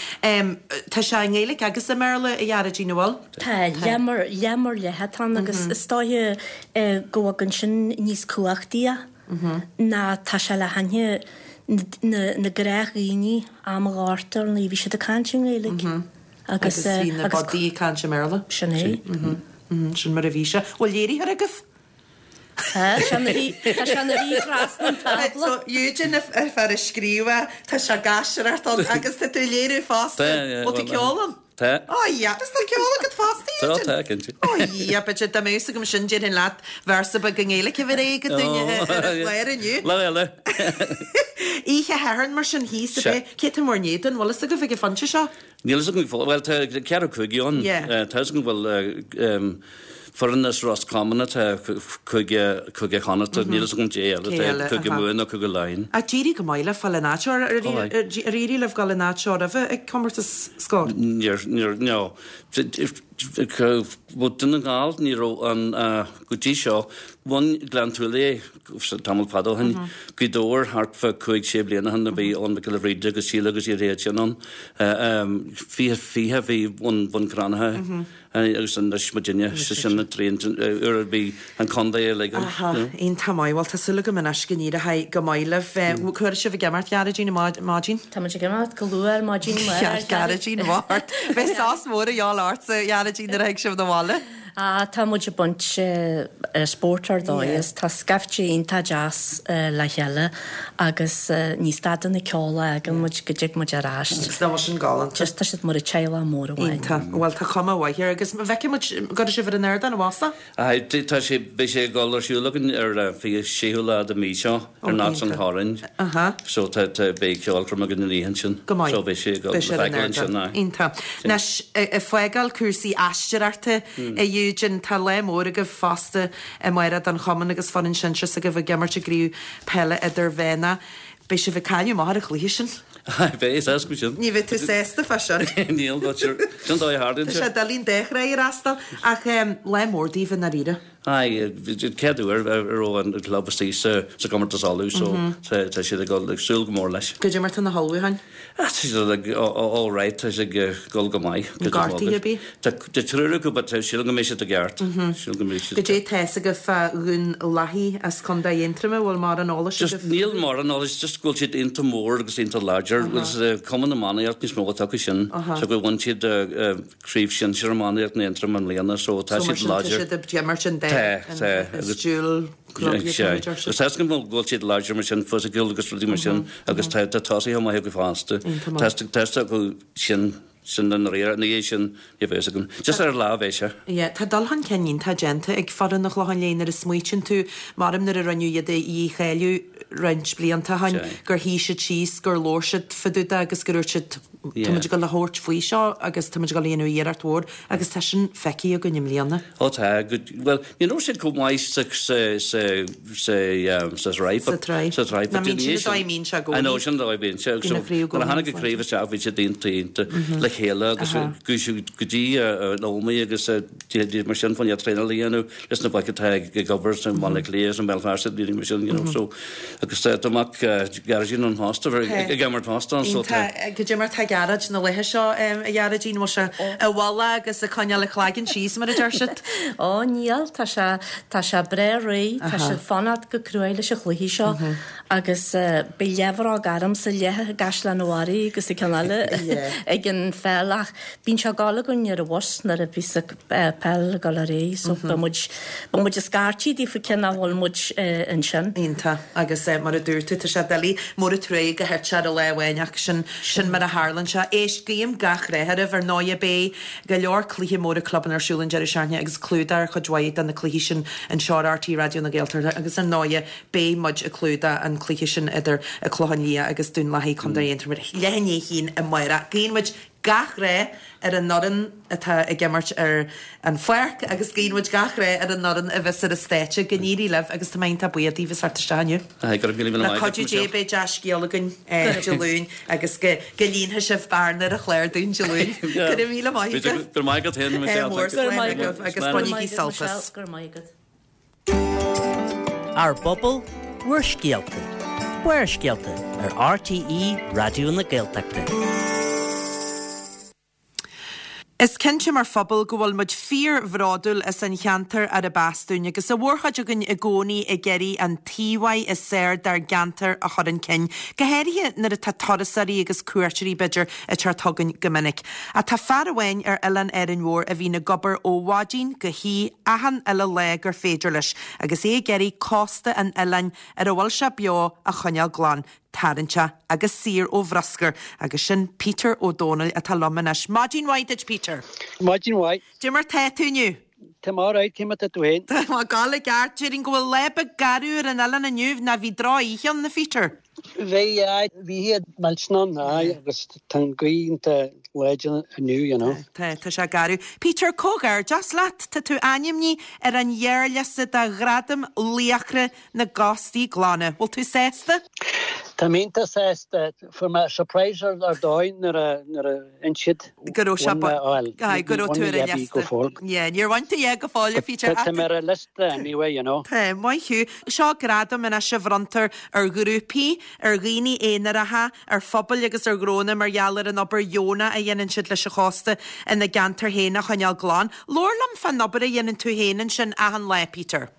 Tá sé i nGaeilge agus i mBéarla, a Ghearóidín, an bhfuil? Tá, leath mar, leath mar leath atá ann agus is dóiche go bhfagann sin níos cumhachtaí é. ná tá sé le haithne na gnáthdhaoine am an Ghorta ar ndóigh bhí siad ag caint i nGaeilge agus bhí na bodaí ag caint i mBéarla. Sin é. Sin mar a bhí sé. Bhfuil léiritheoir agaibh? Tá, tá sé ina shuí trasna an tábla. So Eugene an fear a scríobh é, tá sé ag aisteoireacht ann agus tá tú ag léiriú fosta. Bhfuil tú ceol ann? Tá. Ó yeah, is tá ceol agat fosta, Tá, Eugene. tá, cinnte. Ó yeah, b'fhéidir dá mbeadh fhios agam sin déarfainn leat véarsa beag i nGaeilge a bheith réidh agat dúinn ar an chlár inniu. Lá eile. Oíche Shathairn mar sin thíos, ab Sea. é? Cé tá in bhur n-éadan, bhfuil fhios agaibh ag an phointe seo? Níl fhios agam, bhuel tá ceathrú cúigí ann. Tá fhios agam go bhfuil foireann as Ros Comáin atá Cúige, Cúige Chonnachta, níl fhios agam cé eile atá, Cúige Mumhan nó Cúige Laighean. Ach d'éirigh go maith libh fáil an áit seo, ar éirigh libh dul an áit seo roimhe ag comórtas Scór? Níor, níor, no. Bhuel, Dún na nGall, ní raibh an, go dtí seo, bhain Gleann tSúilí é tamall fada ó shin, Gaoth Dobhair thart fá chúig, sé bliana ó shin a bhí Eoin Mac Giolla Bhríde agus Síle agus iad sin ann. 20, 20 bhí Bhun Cranncha agus anois muidinne, sé sin an tríú uair a bhí an contae uilig ann. Aha, iontach maith. Bhuel, tá súil agam anois go n-éireoidh go maith libh. Cá huair sibh ag imirt, Gearóidín, ar maidin? Tá muid ag imirt go luath ar maidin. Gearóidín, mhart. Beidh sos mór a dhíobháil ortsa, a Ghearóidín, nuair a thig sibh 'na bhaile. Ah, tá muid ag baint spórt ar dóigh as. Tá scaifte iontach deas le chéile agus ní stadann an ceol a fhágann muid go dtig muid ar ais. Agus nach bhfuil sin galánta? Just tá siad mar teaghlach mór amháin. Iontach. Bhuel, tá cuma mhaith air agus feicfidh muid, gcuirfidh sibh ar an ardán i bhfosach? Aye, tá sé, beidh sé ag dul ar siúl againn ar an 26ú lá de mhí seo ar Nots an Chorráin. Aha. So tá, tá, beidh ceolchoirm againn an oíche ansin. Go maith. So beidh sé ag dul Beidh sé le ar an feiceáil ansin, ardán. aye. Iontach. Anois, ag fágáil cúrsaí aisteoireachta, a Eugene, tá lá mór agaibh fosta amárach don chumann agus foireann sinsir s'agaibh ag imirt i gcraobh peile idirmheánach. Beidh sibh ag cailleadh amach ar an chluiche sin. Aye, beidh, is éasca sin. Ní bheidh tú sásta fá sin. Níl, but sure, sin dóigh a tharlaíonn Tá sé sé. doiligh an dá thráigh a fhreastal, ach lá mór daoibh i ndáiríre. Aye, chéad uair a raibh an club istigh sa gcomórtas Uladh so tá siad ag dul ag súil go mór leis. Goidé mar tá na hullmhúcháin? Ah, tá siad ag all right, tá siad ag dul go maith. Gortuithe ar bith? Tá triúr acu but sílim go mbeidh siad i gceart. Sílim go mbeidh siad. Goidé tá fhios agaibh fá Dhún Lathaí as Contae Aontroma, bhfuil mórán eolais agaibh? Just níl mórán eolais, just go bhfuil siad iontach mór agus iontach láidir. Bhfuil cuma na iománaíocht níos mó atá acu sin. So go bhfuil siad Craobh Shinsir Iománaíocht na Aontroim i mbliana so tá So mar siad sin tá láidir. siad ag imirt an dá Tá, tá. an stiúil club Sea. Agus tá a fhios agam go bhfuil siad láidir mar sin, fisiciúil agus rudaí mar sin agus tá tá tosaithe maithe acu fosta. Iontach maith. Tá tá fhios acu sin sin i ndáiríre. Ina dhiaidh sin ní bheidh fhios agam. Just ar an lá a bheidh sé. Yeah, tá dul chun cinn iontach déanta ag foireann an Chlocháin Léith nuair a smaoitíonn tú, maram nuair a rinneadh iad a dhícháiliú roinnt blianta ó shin, gur shuigh siad síos, gur labhair siad fá dtaobh de agus gur dhúirt siad, Tá muid ag dul a thabhairt faoi seo agus tá muid ag dul a dhéanamh iarracht mhór agus tá sin feicthe againn i mbliana. Ó tá, bhuel, ní raibh siad chomh maith sa, sa, sa, sa, sa tsraith. Sa tsraith. Sa tsraith. Ná bíonn sin an dóigh a mbíonn sé i gcónaí. I know, sin an dóigh a mbíonn sé. Bíonn an chraobh i Nuair a gcónaí tháinig an chraobh isteach bhí siad iontach, iontach le chéile agus chuaigh siad go dtí an Ómaigh agus mar sin fá choinne traenáil a dhéanamh. Leis na boic atá ag obair sa mBaile Átha Cliath is i mBéal Feirste daoine mar sin, you know, so agus tá mac Gearóidín ann fosta, ag imirt fosta ann, so tá. Goidé mar tá Gearóid na laetha seo, a Ghearóidín, bhfuil sé i bhfolach agus ag coinneáil a chlaigeann síos mar a deir siad? Ó níl, tá sé, tá sé breá réidh, tá sé ag fanacht go cruaidh leis an chluiche seo agus beidh leathbhróg ormsa leath i gCaisleán an Bharraigh agus an ceann eile ag an pheil ach bíonn sé ag gabháil againn ar an bhus nuair a bhíos an peil ag dul ar aghaidh so beidh muid, beidh muid ag scairtigh daofa cé nach bhfuil muid ansin. Iontach. Agus mar a dúirt tú, tá sé doiligh, mór an truaighe gur thit sé ar an lá amháin ach sin, sin mar a tharlaíonn sé. Éist, guím gach rath oraibh. Ar ndóighe beidh go leor cluiche móra clubanna ar siúl an deireadh seachtaine agus clúdach ar chuid mhaith de na cluichí sin anseo ar RTÉ Raidió na Gaeltachta agus ar ndóighe beidh muid ag clúdach an cluiche sin idir An Clochán Liath agus Dún Lathaí, Contae Aontroim ar leath i ndiaidh a haon amárach. Guíonn muid gach rath ar an fhoireann atá ag imirt ar an pháirc agus guíonn muid gach rath ar an fhoireann a bheas ar an stáitse. Go n-éirí libh agus tá mé iontach buíoch daoibh as theacht isteach inniu. Aye, go raibh míle míle Le maith agat, cuidiú Dé Michelle. beidh dea-scéal againn Dé Luain agus go go líonfaidh sibh bearna ar an chlár dúinn Dé Luain. Go raibh míle maith agat. Go raibh maith agat féin, Michelle. Mór Thank you. slán agaibh agus Slán. bainigí sult as. Go raibh maith agat. Ár bpobal, bhur scéalta. Barrscéalta ar RTÉ Raidió na Gaeltachta. Is cinnte mar phobal go bhfuil muid fíor-bhródúil as an cheantar arb as dúinn agus an mhórchuid againn i gcónaí ag iarraidh an t-íomhá is fearr dár gceantar a chur chun cinn, go háirithe nuair atá turasóirí agus cuairteoirí, b'fhéidir, ag teacht chugainn go minic. Ach tá fear amháin ar oileán Árainn Mhór a bhíonn ag obair ó mhaidin go hoíche achan uile lá gur féidir leis agus é ag iarraidh cósta an oileáin ar a bhfuil sé beo a choinneáil glan, tarraingteach agus saor ó bhruscar agus sin Peter Ó Dónaill atá liom anois. Maidin mhaith duit Peter. Maidin mhaith. Cad é mar tá tú inniu? Tá mé alright, cé mar tá tú féin? Tá mé ag gabháil i gceart. Déarfainn go bhfuil lá beag garbh ar an oileán inniu, nó bhí droch-oíche ann, a Pheter? Bhí, aye, bhí iad millteanach ann, aye, agus tá an ghaoth iontach láidir inniu, you know. Tá, tá sé garbh. Peter, comhghairdeas leat, tá tú ainmnithe ar an ghearrliosta do Ghradam Laochra na gCóstaí Glana. Bhfuil tú sásta? Tá mé iontach sásta. Fuair mé surprise ar dóigh nuair a nuair a inis siad Go raibh sé ba Aye, go raibh tú ar an liosta. Yeah, níor bhain tú a dhath go fóill, a Peter. Tá mé ar an liosta anyway, you know. Tá, maith thú. Seo gradam anois a bhronntar ar ghrúpaí, ar dhaoine aonaracha, ar phobail agus ar ghnónna mar gheall ar an obair dheonach a dhéanann siad leis an chósta ina gceantar féin a choinneáil glan. Labhair liom fán obair a dhéanann tú féin ansin achan lá, Peter.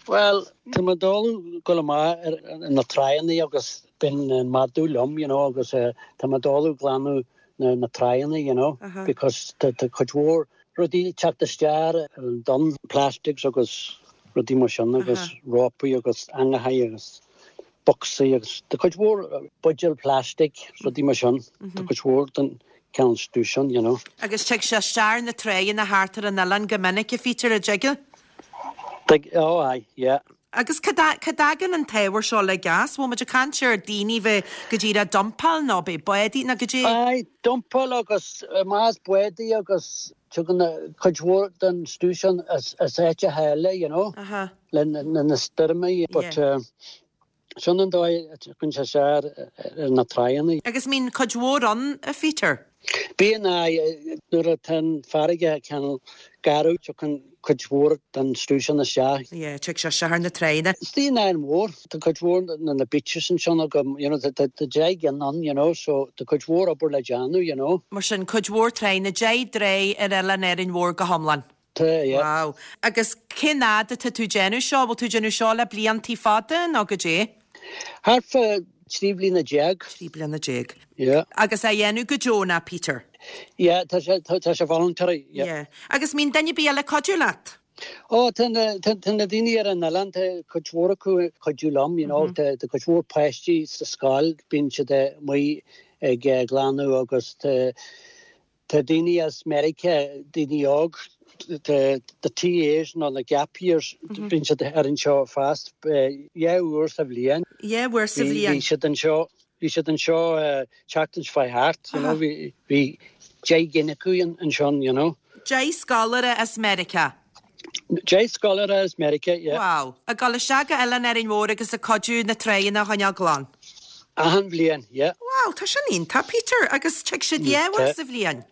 Bhuel, tá mé ag dul dul amach ar na tráigheanna agus bíonn an madadh liom, you know, agus tá mé ag dul ag glanadh na tráigheanna, you know, because tá cuid mhór rudaí ag teacht isteach ar an dtonn, plastics agus rudaí mar sin agus rópaí agus eangachaí agus bocsaí agus tá cuid mhór buidéal plastic, rudaí mar sin, tá cuid mhór den cineál stuif sin, you know. Agus tig sé isteach ar na tráigheanna thart ar an oileán go minic, a Pheter, an dtig? Tig, oh aye, yeah. Agus cá dtagann an t-ábhar seo uilig as? Bhfuil muid ag caint ar daoine bheith go díreach ag dumpáil nó b'é bádaí nó goidé? Aye, dumpáil agus más bádaí agus tugann cuid mhór den stuif sin as áiteacha eile, you know, le na stoirmí but sin an dóigh a dtiocfainn sé isteach ar na tráigheanna. Agus mbíonn cuid mhór ann, a Pheter? Bíonn, aye. Nuair atá an farraige cineál garbh, tiocfainn cuid mhór den stuif sin isteach. Yeah, tig sé isteach ar na tráigheanna. Istigh in Árainn Mhór, tá cuid mhór na na beaches ansin agam, you know, tá 10 gcinn ann, you know, so tá cuid mhór obair le déanamh, you know. Mar sin, cuid mhór tráigheanna, 10 dtráigh ar oileán Árainn Mhór go hiomlán. Tá, yeah. Wow. Agus cén fhad atá tú ag déanamh seo? Bhfuil tú ag déanamh seo le bliantaí fada nó goidé? Thart fá 13 bliana. 13 bliana. Yeah. Agus á dhéanamh go deonach, Peter? Yeah, tá sé, tá sé voluntary, yeah. Yeah. Agus mbíonn duine ar bith eile ag cuidiú leat? Ó, tá na, tá, tá na daoine ar an oileán, tá cuid mhór acu ag cuidiú liom, you know, tá, tá cuid mhór páistí sa scoil, bíonn siad amuigh ag glanadh agus tá, Tá daoine as Meiriceá, daoine óg, the TAs nó na gap years, bíonn siad ar anseo fosta dhá uair sa bhliain. Dhá uair sa bhliain. Bhí siad anseo, bhí siad anseo tseachtain seo chuaigh thart, you know, bhí bhí 10 gcinn acu ansin, you know. 10 scoláire as Meiriceá. 10 scoláire as Meiriceá, yeah. Wow. Ag dul isteach go Oileán Árainn Mhór agus ag cuidiú na tráigheanna a choinneáil glan. Achan bhliain, yeah. Wow, tá sin iontach, Peter. Agus tig siad dhá uair sa bhliain?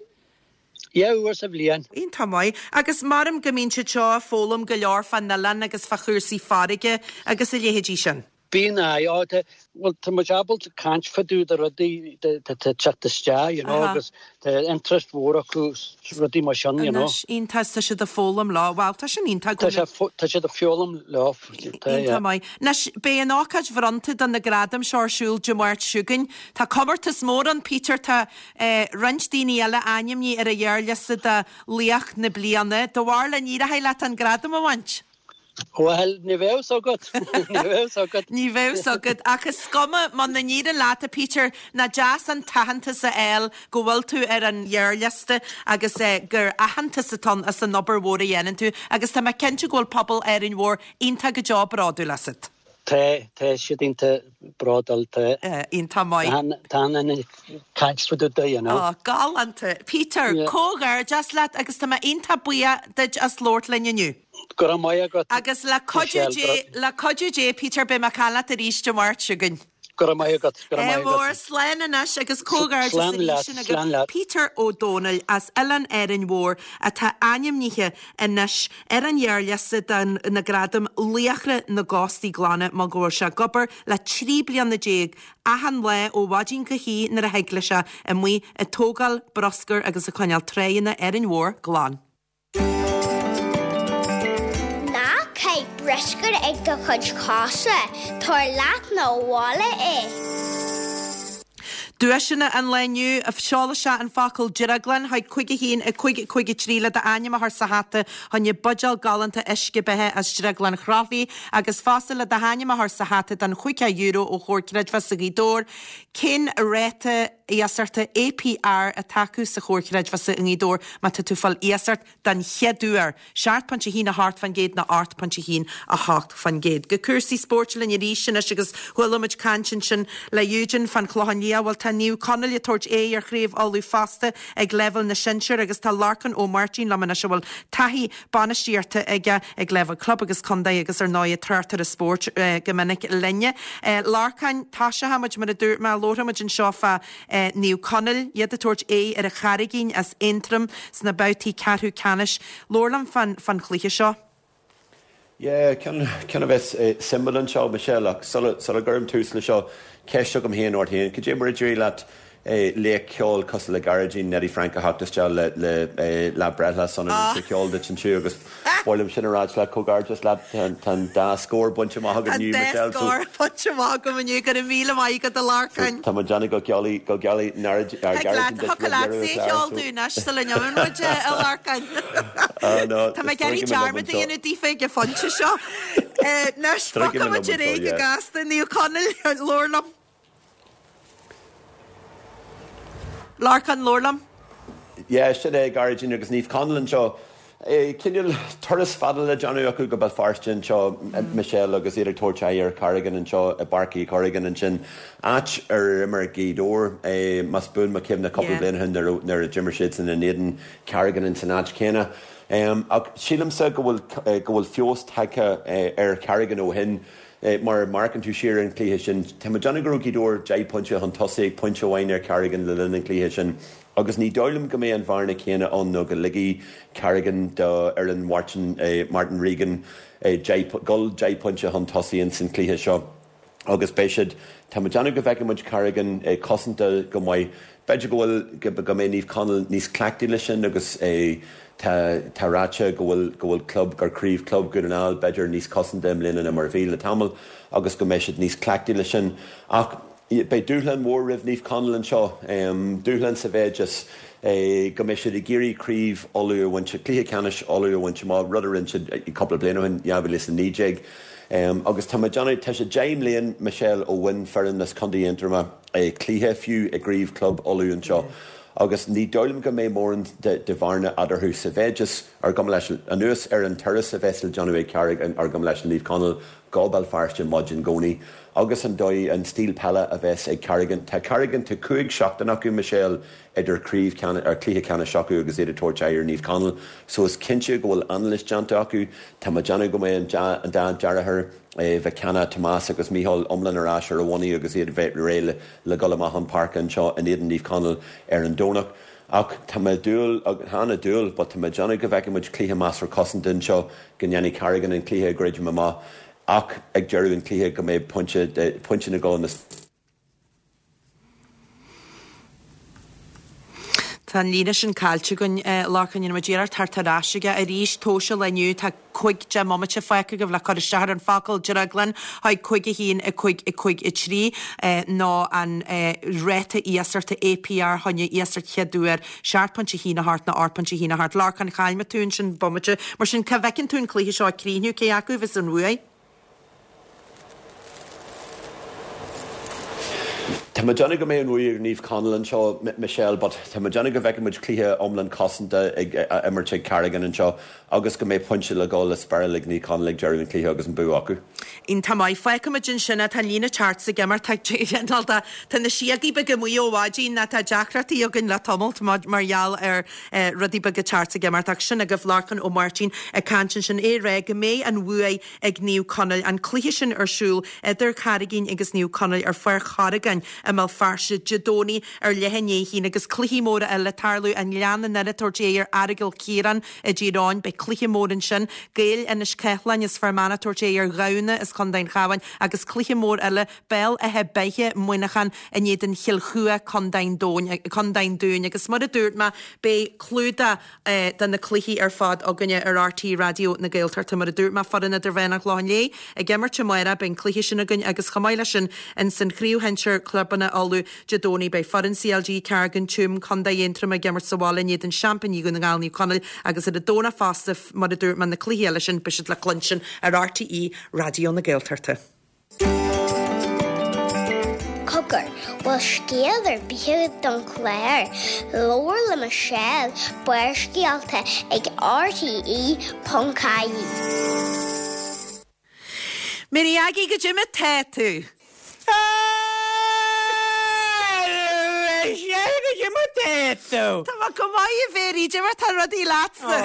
Dhá uair sa bhliain. Iontach maith. Agus maram go mbíonn siad seo ag foghlaim go leor fán oileán agus fá chúrsaí farraige agus a leithéidí sin. Bíonn, aye, ó, tá, bhuel, tá muid ábalta caint fá dtaobh de rudaí atá ag teacht isteach, you know, agus tá interest mhór acu sna rudaí mar sin, you know. Anois, iontach, tá siad ag foghlaim leo. Bhuel, tá sin iontach go. Tá sé, tá siad ag foghlaim leo, tá, yeah. Iontach maith. Anois, beidh an ócáid bhronnta do na gradaim seo ar siúl Dé Máirt seo chugainn. Tá comórtas mór ann, Peter, tá eh, roinnt daoine eile ainmnithe ar an ghearrliosta do Laoch na Bliana. Do bharúil an éireoidh leat an gradam a bhaint? Bhuel, ní bheadh 's agat. Ní bheadh 's agat. Ní bheadh 's agat. Ach is cuma, muna n-éiríonn leat, a Peter, nach deas an t-aitheantas a fháil go bhfuil tú ar an ghearrliosta agus gur aitheantas atá ann as an obair mhór a dhéanann tú. Agus tá mé cinnte go bhfuil pobal Árainn Mhór iontach go deo bródúil asat. Tá, tá siad iontach bródúil, tá. Iontach maith. Tá an ag caint fá dtaobh de, you know. Ó, galánta. Peter, comhghairdeas leat agus tá mé iontach buíoch duit as labhairt linn inniu. Go raibh maith agat. Agus le cuidiú Dé, le cuidiú Dé, Peter, beidh mé ag caint leat arís Dé Máirt seo chugainn. Go raibh maith agat, go raibh maith agat. Mór, slán anois agus comhghairdeas arís sin agaibh. Peter Ó Dónaill as Oileán Árainn Mhór atá ainmnithe anois ar an ghearrliosta do na gradaim Laochra na gCóstaí Glana mar go bhfuil sé ag obair le 13 bliana achan lá ó mhaidin go hoíche nuair a thig leis é amuigh ag tógáil bruscair agus ag coinneáil tráigheanna Árainn Mhór glan. Ná caith bruscar ag do chuid cosa, tabhair leat 'na bhaile é. Duaiseanna an lae inniu, Seol isteach an focal 'Drioglann' chuig 5 1 5 5 3 le d'ainm a chur sa hata choinne buidéal galánta uisce beatha as Drioglann Chroithlí agus fosta le do hainm a chur sa hata don €50 ó Chomhar Creidmheasa Ghaoth Dobhair. Cén ráta? iasachta APR atá acu sa Chomhar Creidmheasa i nGaoth Dobhair má tá tú ag fáil iasacht den chéad uair, 7.18% nó 8.18%. Go cúrsaí spóirt linn arís anois agus chuala muid caint ansin le Eugene fán Chlochán Liath. Bhuel tá Naomh Conaill ag tabhairt aghaidh ar Chraobh Uladh fosta ag leibhéal na sinsear agus tá Lorcán Ó Máirtín liom anois a bhfuil taithí bainistíochta aige ag leibhéal club agus contae agus ar ndóigh tráchtaire spóirt go minic linne. Lorcán, toiseochaidh muid mar a dúirt mé, labharfaidh muid anseo fá Naomh Conaill, iad ag tabhairt aghaidh ar an Charraigín as Aontroim sna babhtaí ceathrú ceannais. Labhair liom fán fán chluiche seo. Yeah, ceann ceann a bheas suimiúil anseo, Michelle, ach sula sula gcuirim tús le seo, ceist agam féin ort féin, cad é mar a d'éirigh leat laoch ceoil cosúil le Gearóidín Neddy Frank a theacht isteach le le lá breithlá sona an cheoil duit ansiúd agus ba mhaith liom sin a ráit leat, comhghairdeas leat, tá an dá scór bainte amach agat inniu, Michelle, so. Tá an dá scór bainte amach agam inniu, go raibh míle maith agat a Lorcáin. Tá muid déanamh go gealaí, go gealaí Gearóidín duit roimh deireadh an chláir, so. Dúinn anois sula n-imíonn muid a Lorcáin. Tá mé ag iarraidh dearmad a dhéanamh daofa ag an phointe seo. Anois, bogfaidh muid ar aghaidh go gasta, Naomh Conaill, labhair liom. Lorcán, labhair liom. Yeah, sin é, Gearóidín agus Naomh Conaill anseo. Cineál turas fada le déanamh acu go Béal Feirste anseo, Michelle, agus iad ag tabhairt aghaidh ar Carraigín anseo i bPáirc Uí Chorragáin ansin, áit ar imir Gaoth Dobhair, más buan mo chuimhne, cúpla bliain ó shin nuair a d'imir siadsan in éadan Carraigín ins an áit chéanna. Ach sílimse go bhfuil go bhfuil feabhas tagtha ar Charraigín ó shin. Mar má amharcann tú siar ar an chluiche sin, tá mé ag déanamh go raibh Gaoth Dobhair 10 pointe chun tosaigh ag pointe amháin ar Carraigín le linn an chluiche sin agus ní dóigh liom go mbeidh an bhearna chéanna ann nó go ligfidh Carraigín do fhoireann Mhartin, Martin Regan dul 10 pointe chun tosaigh ins an chluiche seo agus beidh siad, tá mé ag déanamh go bhfeicfidh muid Carraigín cosanta go maith. B'fhéidir go bhfuil, go mbeidh Naomh Conaill níos cleachtaí leis sin agus tá, tá ráite go bhfuil, go bhfuil club, gur craobh club Dhún na nGall b'fhéidir níos cosanta i mbliana ná mar a bhí le tamall agus go mbeidh siad níos cleachtaí leis sin. Ach beidh dúshlán mhór roimh Naomh Conaill anseo, dúshlán sa mhéid is go mbeidh siad ag iarraidh craobh Uladh a bhaint, cluiche ceannais Uladh a bhaint amach, rud a rinne siad cúpla bliain ó shin, 2019. Agus tá mé ag déanamh, tá sé 10 mbliain, Michelle, ó bhain foireann as Contae Aontroma, cluiche fiú i gcraobh club Uladh anseo agus ní dóigh liom go mbeidh mórán de bhearna eadarthu sa mhéid is, ar gabh mo leithscéal, anuas ar an turas a bheas le déanamh ag Carraig, ar gabh mo leithscéal, Naomh Conaill go Béal Feirste maidin Dhomhnaigh agus an dóigh, an stíl peile a bheas ag Carraigín. Tá Carraigín, tá 5 seachtain acu, Michelle, idir craobh ceannais, ar cluiche ceannais acu agus iad ag tabhairt aghaidh ar Naomh Conaill so is cinnte go bhfuil anailís déanta acu. Tá mé ag déanamh go mbeidh an dá deartháir, Mhic Cana, Tomás agus Mícheál iomlán ar ais ar a bhonnaí agus iad bheith réidh le dhul amach chun páirce anseo in éadan Naomh Conaill ar an Domhnach. Ach tá mé ag dúil, chan ag dúil, but tá mé ag déanamh go bhfeicfidh muid cluiche measartha cosanta anseo, go ndéanfaidh Carraigín an cluiche a dhruidim amach ach ag deireadh an chluiche go mbeidh pointe, pointe na gcol na. Tá an líne sin caillte againn, Lorcán. Déanfaidh muid iarracht theacht ar ais aige arís. Tomhaiste le inniu, tá 15 mbomaite fágtha agaibh le cur isteach ar an focal drioglann chuig 5 1 5 5 3 nó an ráta iasachta APR choinne iasacht chéad uair 7.18 nó 8.18. Lorcán, chaill mé tú ansin bomaite. Mar sin, cá bhfeiceann tú an cluiche seo ag críochnú? Cé acu a bheas an bhuaidh? Tá mé ag déanamh go mbeidh an bhuaidh ag Naomh Conaill anseo, Michelle, but tá mé ag déanamh go bhfeicfidh muid cluiche iomlán cosanta ag á imirt ag Carraigín anseo agus go mbeidh pointe le dhul le speireáil ag Naomh Conaill ag deireadh an chluiche agus an bua acu. Iontach maith. Fágfaidh muid ansin é. Tá an líne ceart ag imeacht. Tá tá na síogaí beaga amuigh ó mhaidin ná tá deacrachtaí againn le tamalt mar gheall ar rudaí beaga ceart ag imeacht ach sin agaibh Lorcán Ó Máirtín ag caint ansin é ag rá go mbeidh an bhuaidh ag Naomh Conaill. An cluiche sin ar siúl idir Carraigín agus Naomh Conaill ar Pháirc Chorragáin i mBéal Feirste Dé Domhnaigh ar leath i ndiaidh a haon agus cluichí móra eile le tarlú, An Gleann i nDoire ag tabhairt aghaidh ar Aireagal Chiaráin i dTír Eoghain. Beidh cluiche mór ansin, Gaeil Inis Ceithleann as Fear Manach ag tabhairt aghaidh ar Ghamhna as Contae an Chabháin agus cluiche mór eile, Béal Átha Beithe, Muineachán in éadan Chill Chua, Contae an Dúin agus mar a dúirt mé beidh clúdach de na cluichí ar fad againne ar RTÉ Raidió na Gaeltachta. Mar a dúirt mé, foireann Idirmheánach an Chlocháin Léith ag imirt amárach, beidh an cluiche sin againn agus chomh maith leis sin ins an Chraobh Shinsir Clubanna Uladh Dé Domhnaigh beidh foireann CLG Carraig an Tuaim, Contae Aontroma ag imirt sa bhaile in éadan seaimpíní Dhún na nGall Naomh Conaill agus ar an Domhnach fosta mar a dúirt mé na cluichí eile sin beidh siad le cluinstin ar RTÉ Raidió na Gaeltachta. Cogar. Bhfuil scéal ar bith agat don chlár? Labhair le Michelle, Barrscéalta ag rte.ie. Mary Aggie, goidé mar tá tú? Michelle, goidé mar tá tú? Tá mé go maith, a Mhary, goidé mar tá rudaí leatsa?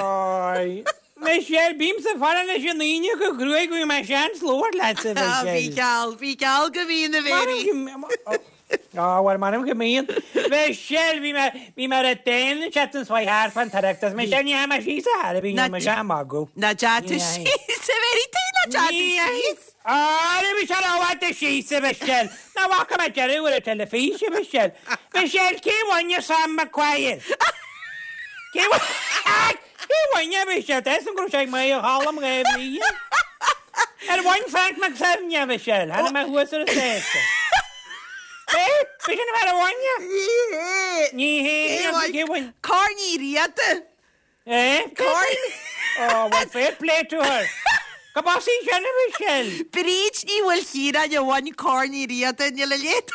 Oi, Michelle, bímse ag faire leis an Aoine go cruaidh go bhfaighidh mé seans labhairt leatsa, Michelle. Bhí geall, bhí geall go mbíonn, a Mhary. Á, bhuel, m'anam go mbíonn. Michelle, bhí mé, bhí mé ar an dtaon an tseachtain seo thart fán Oireachtas. Michelle, ní dheachaigh mé síos a thairbhe, ní raibh mise ag magadh. Ná deachaigh tú síos, a Mhary, tuige nach dteachaigh tú síos? Á, ní raibh mise rófhada síos, a Mhichelle. Nach bhfaca mé deireadh ar an teilifís, a Mhichelle. Michelle, cé bhain Sam Maguire? Cé bhain? Cé bhain a Mhichelle? Tá a fhios agam go raibh sé ag maíomh Cholm dhá bhliain. Ar bhain Frank McSevney a Mhichelle? Tháinig mé thuas ar an stáitse. É? B'shin an fear a bhain é? Ní hé. Ní hé. Cé bhain? Corn Uí Riada. Eh? Corn. Oh, well, fair play to her. Go b'as í sin a Mhichelle? Bríd Ní Mhaoilchiaráin a bhain Corn Uí Riada, níl a leithéid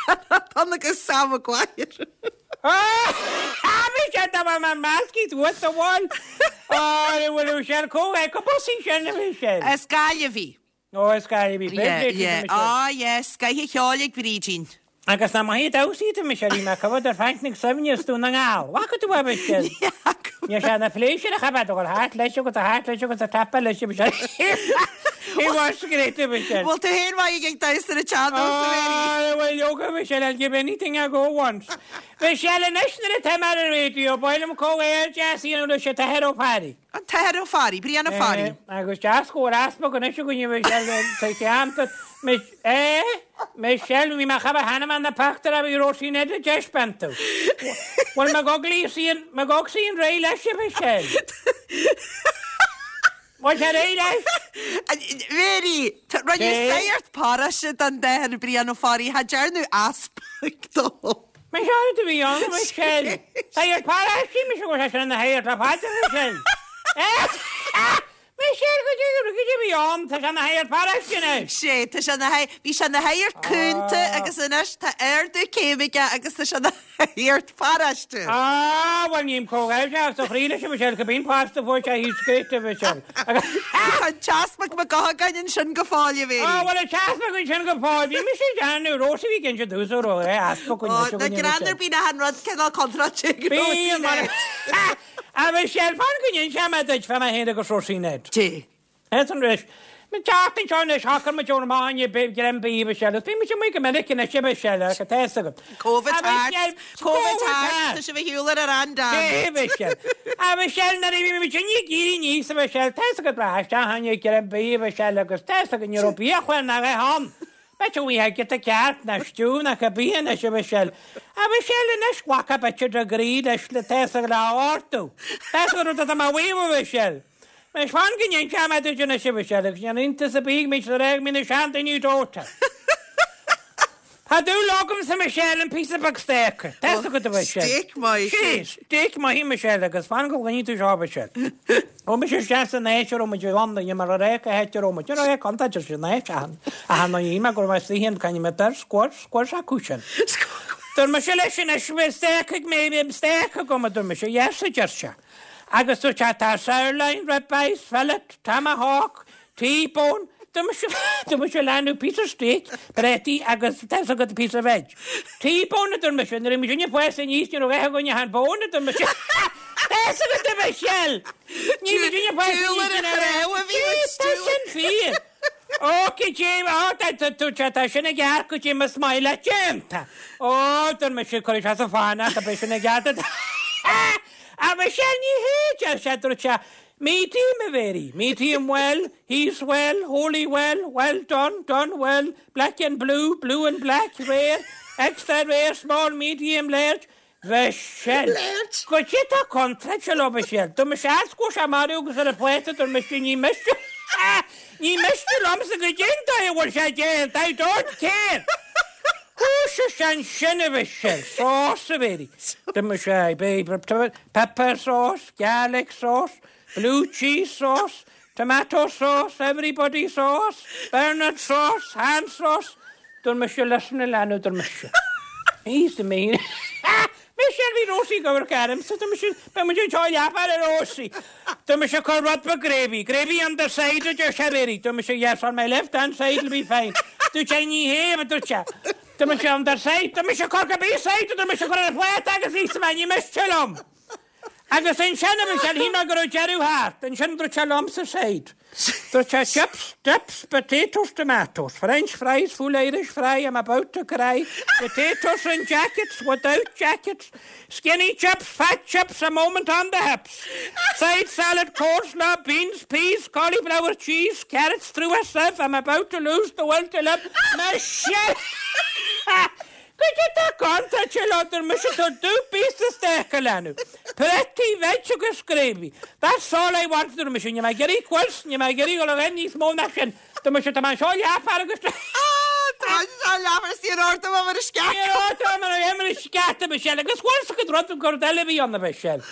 ann agus Sam Maguire. Ah, Michelle, tá mé measctha suas sa bhfuil. Ah, bhfuil Michelle comh go b'as í sin a Mhichelle. As Gaillimh í. Ó, as Gaillimh í. Yeah, yeah. Ah, yeah, scoth an cheoil ag Brídín. Agus nach maith an damhsa iad a Michelle, bhí mé ag coimhéad ar Frank McSevney as Dún na nGall. Bhfaca tú é, Michelle? Ní fhaca. Ní sé na pléisiúr a chaith a dhul thart leis agus a thart leis agus a tappa leis a Michelle. He was great, a Michelle. Bhfuil tú féin maith ag damhsa ar an tsean-nós, a Mhary? Ah, bhuel, leoga, Michelle, I'll give anything a go once. Michelle, anois nuair atá mé ar an raidió, ba mhaith liom comhghairdeas a dhéanamh leis an tAthair Ó Fearraigh. An tAthair Ó Fearraigh, Brian Ó Fearraigh. Agus deas go bhfuil easpag anois againn, a Mhichelle, sa cheantar. Eh? Michelle, bhí mé chomh sheana na pictiúir a bhí Róisín Ned ag taispeáint tú. Bhfuil McGogley McGogsy réidh leis, a Mhichelle? Bhfuil sé réidh leis? Mary, rinneadh sagart paróiste den tAthair Brian Ó Fearraigh, cha dtearnadh easpag dó. Michelle do bhí ann, Michelle. Sagart paróiste, mise go bhfuil sé sin ina shagart le fada, Michelle. Michelle, go dtí go dtí bhí ann, tá sé ina shagart paróiste anois. Sé, tá sé ina shagart, bhí sé ina shagart cúnta agus anois tá ardú céime aige agus tá sé ina shagart paróiste. Á, bhuel ním comhghairdeas as do chroí leis, a Mhichelle, cibé an post a fuair sé, he's great, a Mhichelle. Tá an t-easpag Mac Gothagáin ansin go fóill, a Mhary. Á, bhuel an t-easpag ansin go fóill, bhí mise ag déanamh, Róise a bhí ag inse domhsa go raibh easpag anois againn, a Mhichelle. Ná greann ar bith nach an rud cineál contráilte ag Róisín Ned. A Mhichelle, fan go n-inseoidh mé duit fá mé féin agus Róisín Ned. Dé. Is an ris. An tseachtain seo anois, shocair muid dul amach i ndiaidh greim bídh, a Mhichelle, agus bíonn muid amuigh go minic anois, a Mhichelle, ach tá a fhios agat. Covid thart, Covid thart, tá sibh ar shiúl ar an randam. Dé, a Mhichelle. A Mhichelle, nuair a bhí muid ag éirí aníos, a Mhichelle, tá a fhios agat, rachaidh isteach i ndiaidh greim bídh, a Mhichelle, agus tá a fhios agat, ní raibh biachlár ná a dhath ann. B'fhéidir go bhfaighfeá giota cearc ná stew ná cibé anois, a Mhichelle. A Mhichelle, anois, ghlacfá b'fhéidir de groí leis le tá a fhios agat le ordú. Tá a fhios agat rud atá mé a mhaíomh, a Mhichelle. Anois, fan go n-inseoidh mé duit anois, a Mhichelle, agus níl iontas ar bith go mbíonn siad ag rá go mbíonn na seandaoine dóite. Tá dúil agamsa, Michelle, in píosa beag steak. Tá a fhios agat, a Mhichelle. Steak maith. Sea, steak maith, Michelle, agus fan go gcluinfidh tú seo, a Mhichelle. Chuaigh mise isteach san áit a raibh muid ag ann, ní mar a raibh cá háit a raibh muid, ní raibh contae sin áit achan, achan ndóigh ní mé go raibh mé istigh in cainne mé dar scoir, scoir s'acu sin. Dúirt mise leis anois, bhí steak ag mé, bhí steak agam, a dúirt mise, yes, a deir sé. Agus dúirt sé, tá sirloin, ribeye, fillet, tomahawk, T-bone, dúirt mise, dúirt mise leanbh píosa steak, préataí agus tá a fhios agat píosa veg. T-bone a dúirt mise, nuair a bhí muid ag fás aníos ní raibh a dhath againn ach an bone a dúirt mise. Tá a fhios agat a Mhichelle! Ní bhí muid ag fás aníos ní raibh a dhath. Tá sin fíor. Ó, goidé, ó, tá, tá, dúirt sé, tá sin i gceart goidé más maith leat déanta. Ó, dúirt mise, cuirfidh sé sa fánach, beidh sin i gceart. A Mhichelle, ní hé, deir sé, dúirt sé, Medium, a Mhary, medium well, he's well, wholly well, well done, done well, black and blue, blue and black, rare, extra rare, small, medium, large, Mhichelle. Large. Goidé tá contráilte leo, Mhichelle. Dúirt mise as go raibh sé marbh agus ar an phláta dúirt mise ní miste ní miste liomsa goidé an dóigh a bhfuil sé déanta, I don't care! Thoisigh sé ansin a Mhichelle, sauce a Mhary. Dúirt mise, babe, pepper sauce, garlic sauce, blue cheese sauce, tomato sauce, everybody sauce, Bernard sauce, hand sauce. Dúirt mise listen a leanbh, dúirt mise. Íosa mé. Michelle bhí Rosie ag amharc ormsa, tá mise, beidh muid anseo leathuair a Rosie. Tá mise ag cur rud beag gravy, gravy on the side a deir sé Mary. Tá mise yes on my left hand side will be fine. Dúirt sé ní hé a dúirt sé. Tá mise on the side, tá mise ag cur cibé side, tá mise ag cur ar an phláta agus íosa mé ní miste liom. Agus ansin a Michelle, shíl mé go raibh deireadh thart, ansin dúirt sé liomsa side. Dúirt sé chips, dips, potatoes, tomatoes, french fries, full Irish fry, I'm about to cry, potatoes in jackets, without jackets, skinny chips, fat chips, a moment on the hips, side salad, coleslaw, beans, peas, cauliflower, cheese, carrots through a sieve, I'm about to lose the will to live. Michelle! Goidé tá contráilte leo dúirt mise tá dúirt píosa steak a leanadh. Prátaí, veg agus gravy. That's all I want dúirt mise níl mé ag iarraidh cuirs, níl mé ag iarraidh dul a bheith níos mó ná sin. Dúirt mise tá mé anseo leathuair agus Tá mé anseo leathuair is níor ordaigh mé mar a sceach. Níor ordaigh mé mar a sceach a Michelle agus bhfuil 's agat rud gur rud eile a bhí ann a Mhichelle.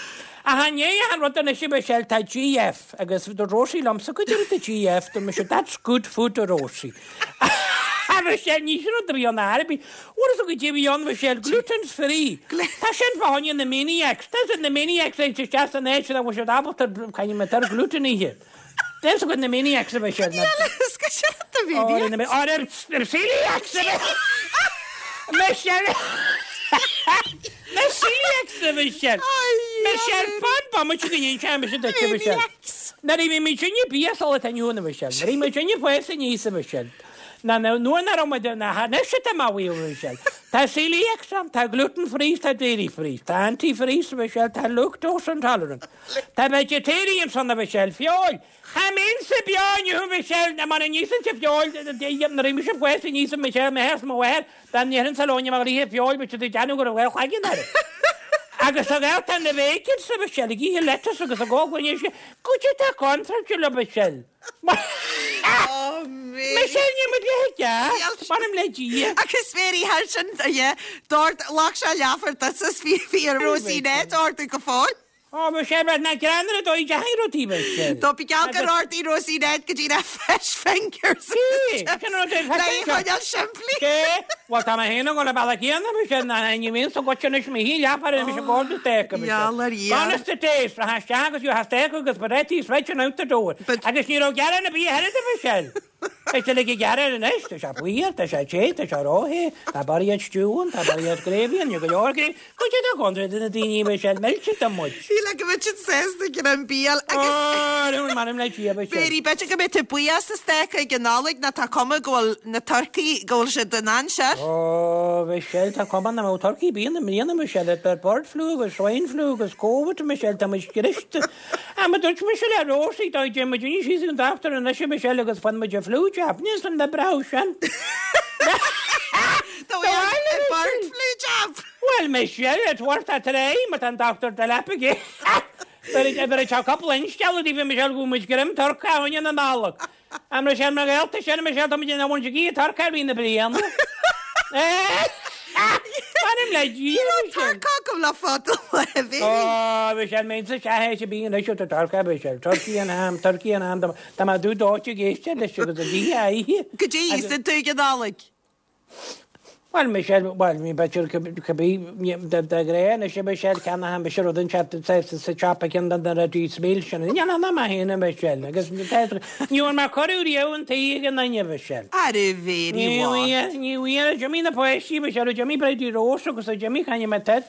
Ach i ndiaidh an rud anois a Mhichelle tá GF agus dúirt Rosie liomsa goidé rud é GF dúirt mise that's good food a Rosie. A Mhichelle, ní sin rud a bhí ann ar bith. Bhfuil 'fhios agat goidé a bhí ann, Michelle, gluten free. Tá sin fá choinne na maniacs. Tá siad na maniacs a théann isteach san áit nach bhfuil siad ábalta caithfidh mé tar gluten a ithe. Tá 'fhios agat na maniacs a Mhichelle. Níl a fhios go sin rud a bhí ann. Ar celiacs a Michelle. Na celiacs a Mhichelle. Michelle, fan bomaite go n-inseoidh mise duit a Mhichelle. Nuair a bhí muid inne bia sula tá inniu ann a Mhichelle. Nuair a bhí muid inne fás aníos a Mhichelle. Na nuair nach raibh muid na anois atá mé a mhaíomh a Mhichelle. Tá celiacs ann, tá gluten free, tá dairy free, tá anti freeze a Mhichelle, tá lactose intolerant. Tá vegetarians ann a Mhichelle, feoil. Cha mbeinnse beo inniu a Mhichelle, ná mura n-íosfainnse feoil, nuair a bhí mise fás aníos a Mhichelle, m'athair 's mo mháthair, dá ndéarfainnse leo ní bheadh ríthe feoil, bheadh siad ag déanamh go raibh dhá chloigeann orm. Agus a ghaolta na vegans a Mhichelle, ag ithe lettuce agus ag ól gloine uisce, goidé tá contráilte leo Michelle. Oh, Mary. Michelle, níl muid le ceart, m'anam le Dia. Agus Mary, thar sin, yeah, d'ord, ghlac sé leathuair duit is bhí, bhí ar Rosie Ned ordú go fóill. Ó, Michelle, bheadh na greann ar a dóigh deachaidh rudaí, Michelle. Do bí geall gur ordaigh Rosie Ned go dtí na fish fingers agus chips le é a choinneáil simplí. Cé? Bhuel, tá mé féin ag dul an bealach céanna, Michelle, ná ní bhíonn sa gcoite anois mo shíl leathuair ar mise ag ordú steak, Michelle. Gheall ar Dhia. Gone is the days, rachfá isteach agus gheofá steak agus prátaí is veg and out the door. Agus ní raibh gearán ar bith oiread, a Michelle. Is uilig ag gearán anois, tá sé fuar, tá sé te, tá sé ró-the, tá barraíocht stew ann, tá barraíocht gravy ann, níl go leor gravy. Goidé tá contráilte do na daoine, Michelle, millte do muid. Shíl go mbeadh siad sásta ag an bia agus. Ó, m'anam le Dia, Michelle. Mary, b'fhéidir go mbeidh tú buíoch as an steak ag an Nollaig nó tá cuma go bhfuil na turcaí, go bhfuil siad in ainsear. Ó, Michelle, tá cuma nach mbeadh turcaí ar bith ann i mbliana, Michelle, idir bird flu agus swine flu agus Covid, Michelle, tá muid scriosta. Ah, mar dúirt mise le Rosie, dá dtéadh muid aníos síos ag an dochtúir anois a Michelle agus faigheann muid an flu jab, níl san le brath sin. Do bhfuil bird flu jab? Bhuel, Michelle, it's worth a try, má tá an dochtúir de leap aige. Bheir sé cúpla instealladh daoibh a Michelle go bhfuil muid greim turcaí againne na Nollag. A Michelle, mar ghaolta sin, a Michelle, tá muid in ann ag ithe turcaí i rith na bliana. M'anam le Dia, Ní raibh turcaí agam le fada an lá, a Mhary. Ó, Michelle, mbeinnse isteach é bíonn anois tá turcaí, Michelle, turkey and ham, turkey and ham, tá mé dubh dóite ag éisteacht leis agus ag ithe a ithe. Goidé a íosann tú ag an Nollaig? Bhuel, Michelle, bhuel, ní b'fhéidir cibé, de ghnáth anois a Michelle, ceannaím mise rud inteacht sa siopa ceann de na rudaí smil sin. Ní dhéanfaidh mé féin a Michelle, agus ní bhfuair mé cuireadh riamh chun tí ag aon duine, a Mhichelle. Ara Mhary Ní bhfuair, ní bhfuair, d'imigh na páistí, Michelle, d'imigh Bridie Rose agus d'imigh Connie Matter,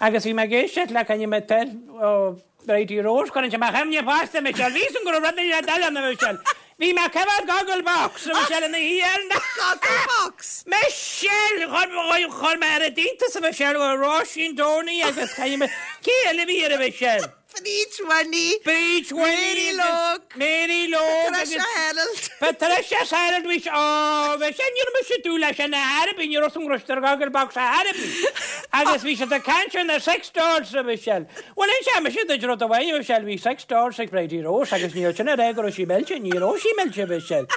agus bhí mé ag éisteacht le Connie Matter ó, Bridie Rose, cuireann sé mo chuimhne fosta, Michelle. Bhí san go raibh rud eile eile ann, a Mhichelle. Bhí mé ag coimhéad Gogglebox, a Mhichelle, ina shuí ar an. Gogglebox! Michelle! Chuir, chuir mé ar a d'iontas, a Mhichelle, go raibh Róisín Downey agus caithfidh mé, cé eile a bhí air, a Mhichelle? Bríd Winnie. Bríd Winnie. Mary Logue. Mary Logue agus. Patricia Harold. Patricia Harold, bhí sé, ó, bhí sé, ní raibh mise ag dúil leis sin ar bith, ní raibh san go raibh siad ar Gogglebox ar bith. Agus bhí siad ag caint ar na sex dolls, a Mhichelle. Bhuel, inseoidh mise duit rud amháin, a Mhichelle, bhí sex dolls ag Bridie Rose agus níl sin ag rá go raibh sí millte, ní raibh sí millte, a Mhichelle.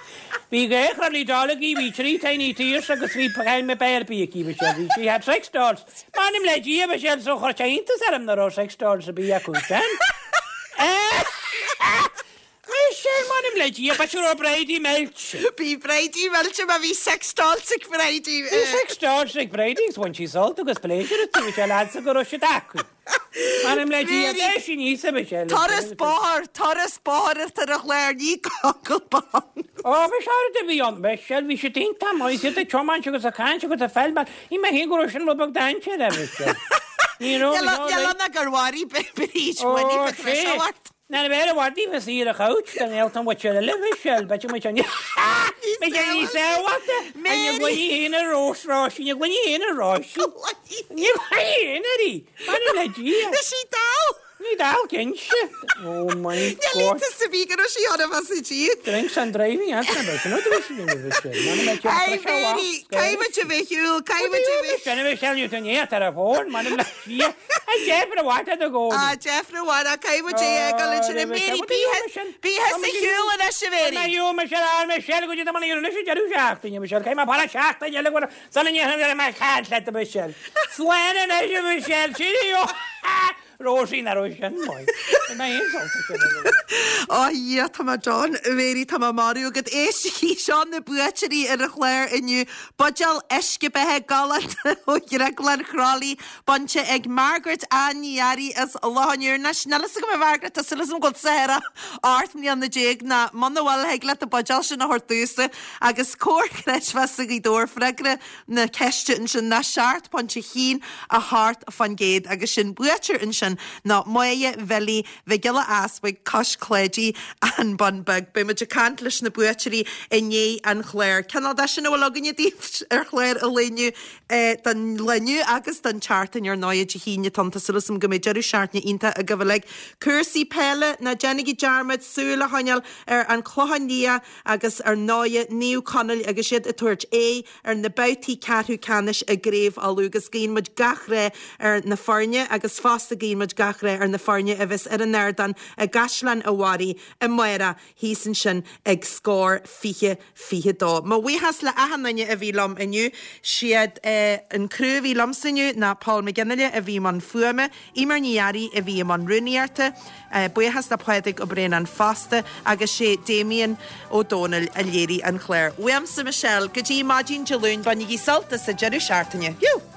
Bhí dhá chrolly doll aici, bhí trí Tiny Tears agus bhí Jaime Barbie aici, a Mhichelle, bhí, she had sex dolls. M'anam le Dia, a Mhichelle, so chuir sé iontas orm nach raibh sex dolls ar bith acu sin. Michelle, m'anam le Dia, b'fhéidir go raibh Bridie millte. Bhí Bridie millte má bhí sex dolls ag Bridie. Bhí sex dolls ag Bridie agus bhain sí sult agus pléisiúr astu, Michelle, fhad's go raibh siad acu. M'anam le Dia, d'éist sí níos a Michelle. Turas bóthair, turas bóthair atá ar an chlár, ní Google bán. Ó, bhí sé rud a bhí ann, Michelle, bhí siad iontach maith, iad ag tiomáint agus ag caint agus ag feilmeáil. Shíl mé féin go raibh sin rud beag dainséarach, a Michelle. Ní raibh, Níl ann ach gur mharaigh Bríd Ó, Winnie the sé. Threshold ort. Ná bheir i bhfad daoibh is í ar a couch don éaltán mhuintir eile Michelle, b'fhéidir muid an B'fhéidir níos sábháilte An i gcluiní féin a rós Róisín, i gcluiní féin a Róisín. Ní gcluiní féin ar í, m'anam le Dia. Is í dall. Ní dall cinnte. Oh my Níl God. iontas ar bith go raibh sí ann as a díon. Drinks and driving, that's not bad. Sin rud a bhí sí ina Michelle. M'anam le Dia. Hey Mary, caithfidh muid a bheith shiúl, caithfidh muid a bheith. Sin a Michelle, ní tú ní ar a bhfón, m'anam le Dia. A deifre mhaith do gcónaí. A deifre mhaith, a caithfidh muid é a fhágáil ansin. A Mary, bí thusa ar shiúl anois, a Mary. Má shiúl Michelle, a Michelle, go dtí tá mé anois ag deireadh seachtaine, Michelle, caithfidh mé fanacht seachtain eile go sula ndéanfaidh mé caint leat, a Michelle. Slán anois, a Michelle, cheerio! Róisín, nach raibh sin maith. Bhí mé féin sásta sin a rá. Ó a Dhia, tá mé done. A Mary, tá mé marbh agat. Éistigí, seo na buaiteoirí ar an chlár inniu. Buidéal uisce beatha galánta ó Dhrioglann Chrolly, bainte ag Margaret Ann Ní Fhearraigh as Loch an Iúir. Anois, níl fhios agam a Mhargaret, tá súil agam go bhfuil tusa thar 18 mbliana ná muna bhfuil, thig leat an buidéal sin a thabhairt domhsa agus Comhar Creidmheasa Ghaoth Dobhair freagra na ceiste ansin ná 7.1 8% agus sin buaiteoir ansin ná Máire Bhilí Mhic Giolla Easbuig Cois Cláidí, An Bun Beag. Beidh muid ag caint leis na buaiteoirí i ndiaidh an chláir. Cineál de sin a bhfuil againne daoibh ar chlár an lae inniu don lá inniu agus don tseachtain ar ndóigh Dé hAoine atá ann. Tá súil agam go mbeidh deireadh seachtaine iontach agaibh uilig. Cúrsaí peile, ná déanaigí dearmad súil a choinneáil ar An Clochán Liath agus ar ndóigh Naomh Conaill agus iad ag tabhairt aghaidh ar na babhtaí ceathrú ceannais i gCraobh Uladh agus guíonn muid gach rath ar na foirne agus fosta guíonn muid gach rath ar na foirne a bheas ar an ardán i gCaisleán a' Bharraigh amárach thíos ansin ag Scór 20 22. Mo bhuíochas le achan duine a bhí liom inniu. Siad an criú a bhí liomsa inniu ná Paul McGinley a bhí i mbun fuaime, Eimear Ní Fhearraigh a bhí i mbun rúnaíochta, Buíochas le Pádraig Ó Braonáin fosta agus sé Damien Ó Dónaill a léirigh an clár. Uaimse Michelle, go dtí maidin Dé Luain, bainigí sult as an deireadh seachtaine. Fiú!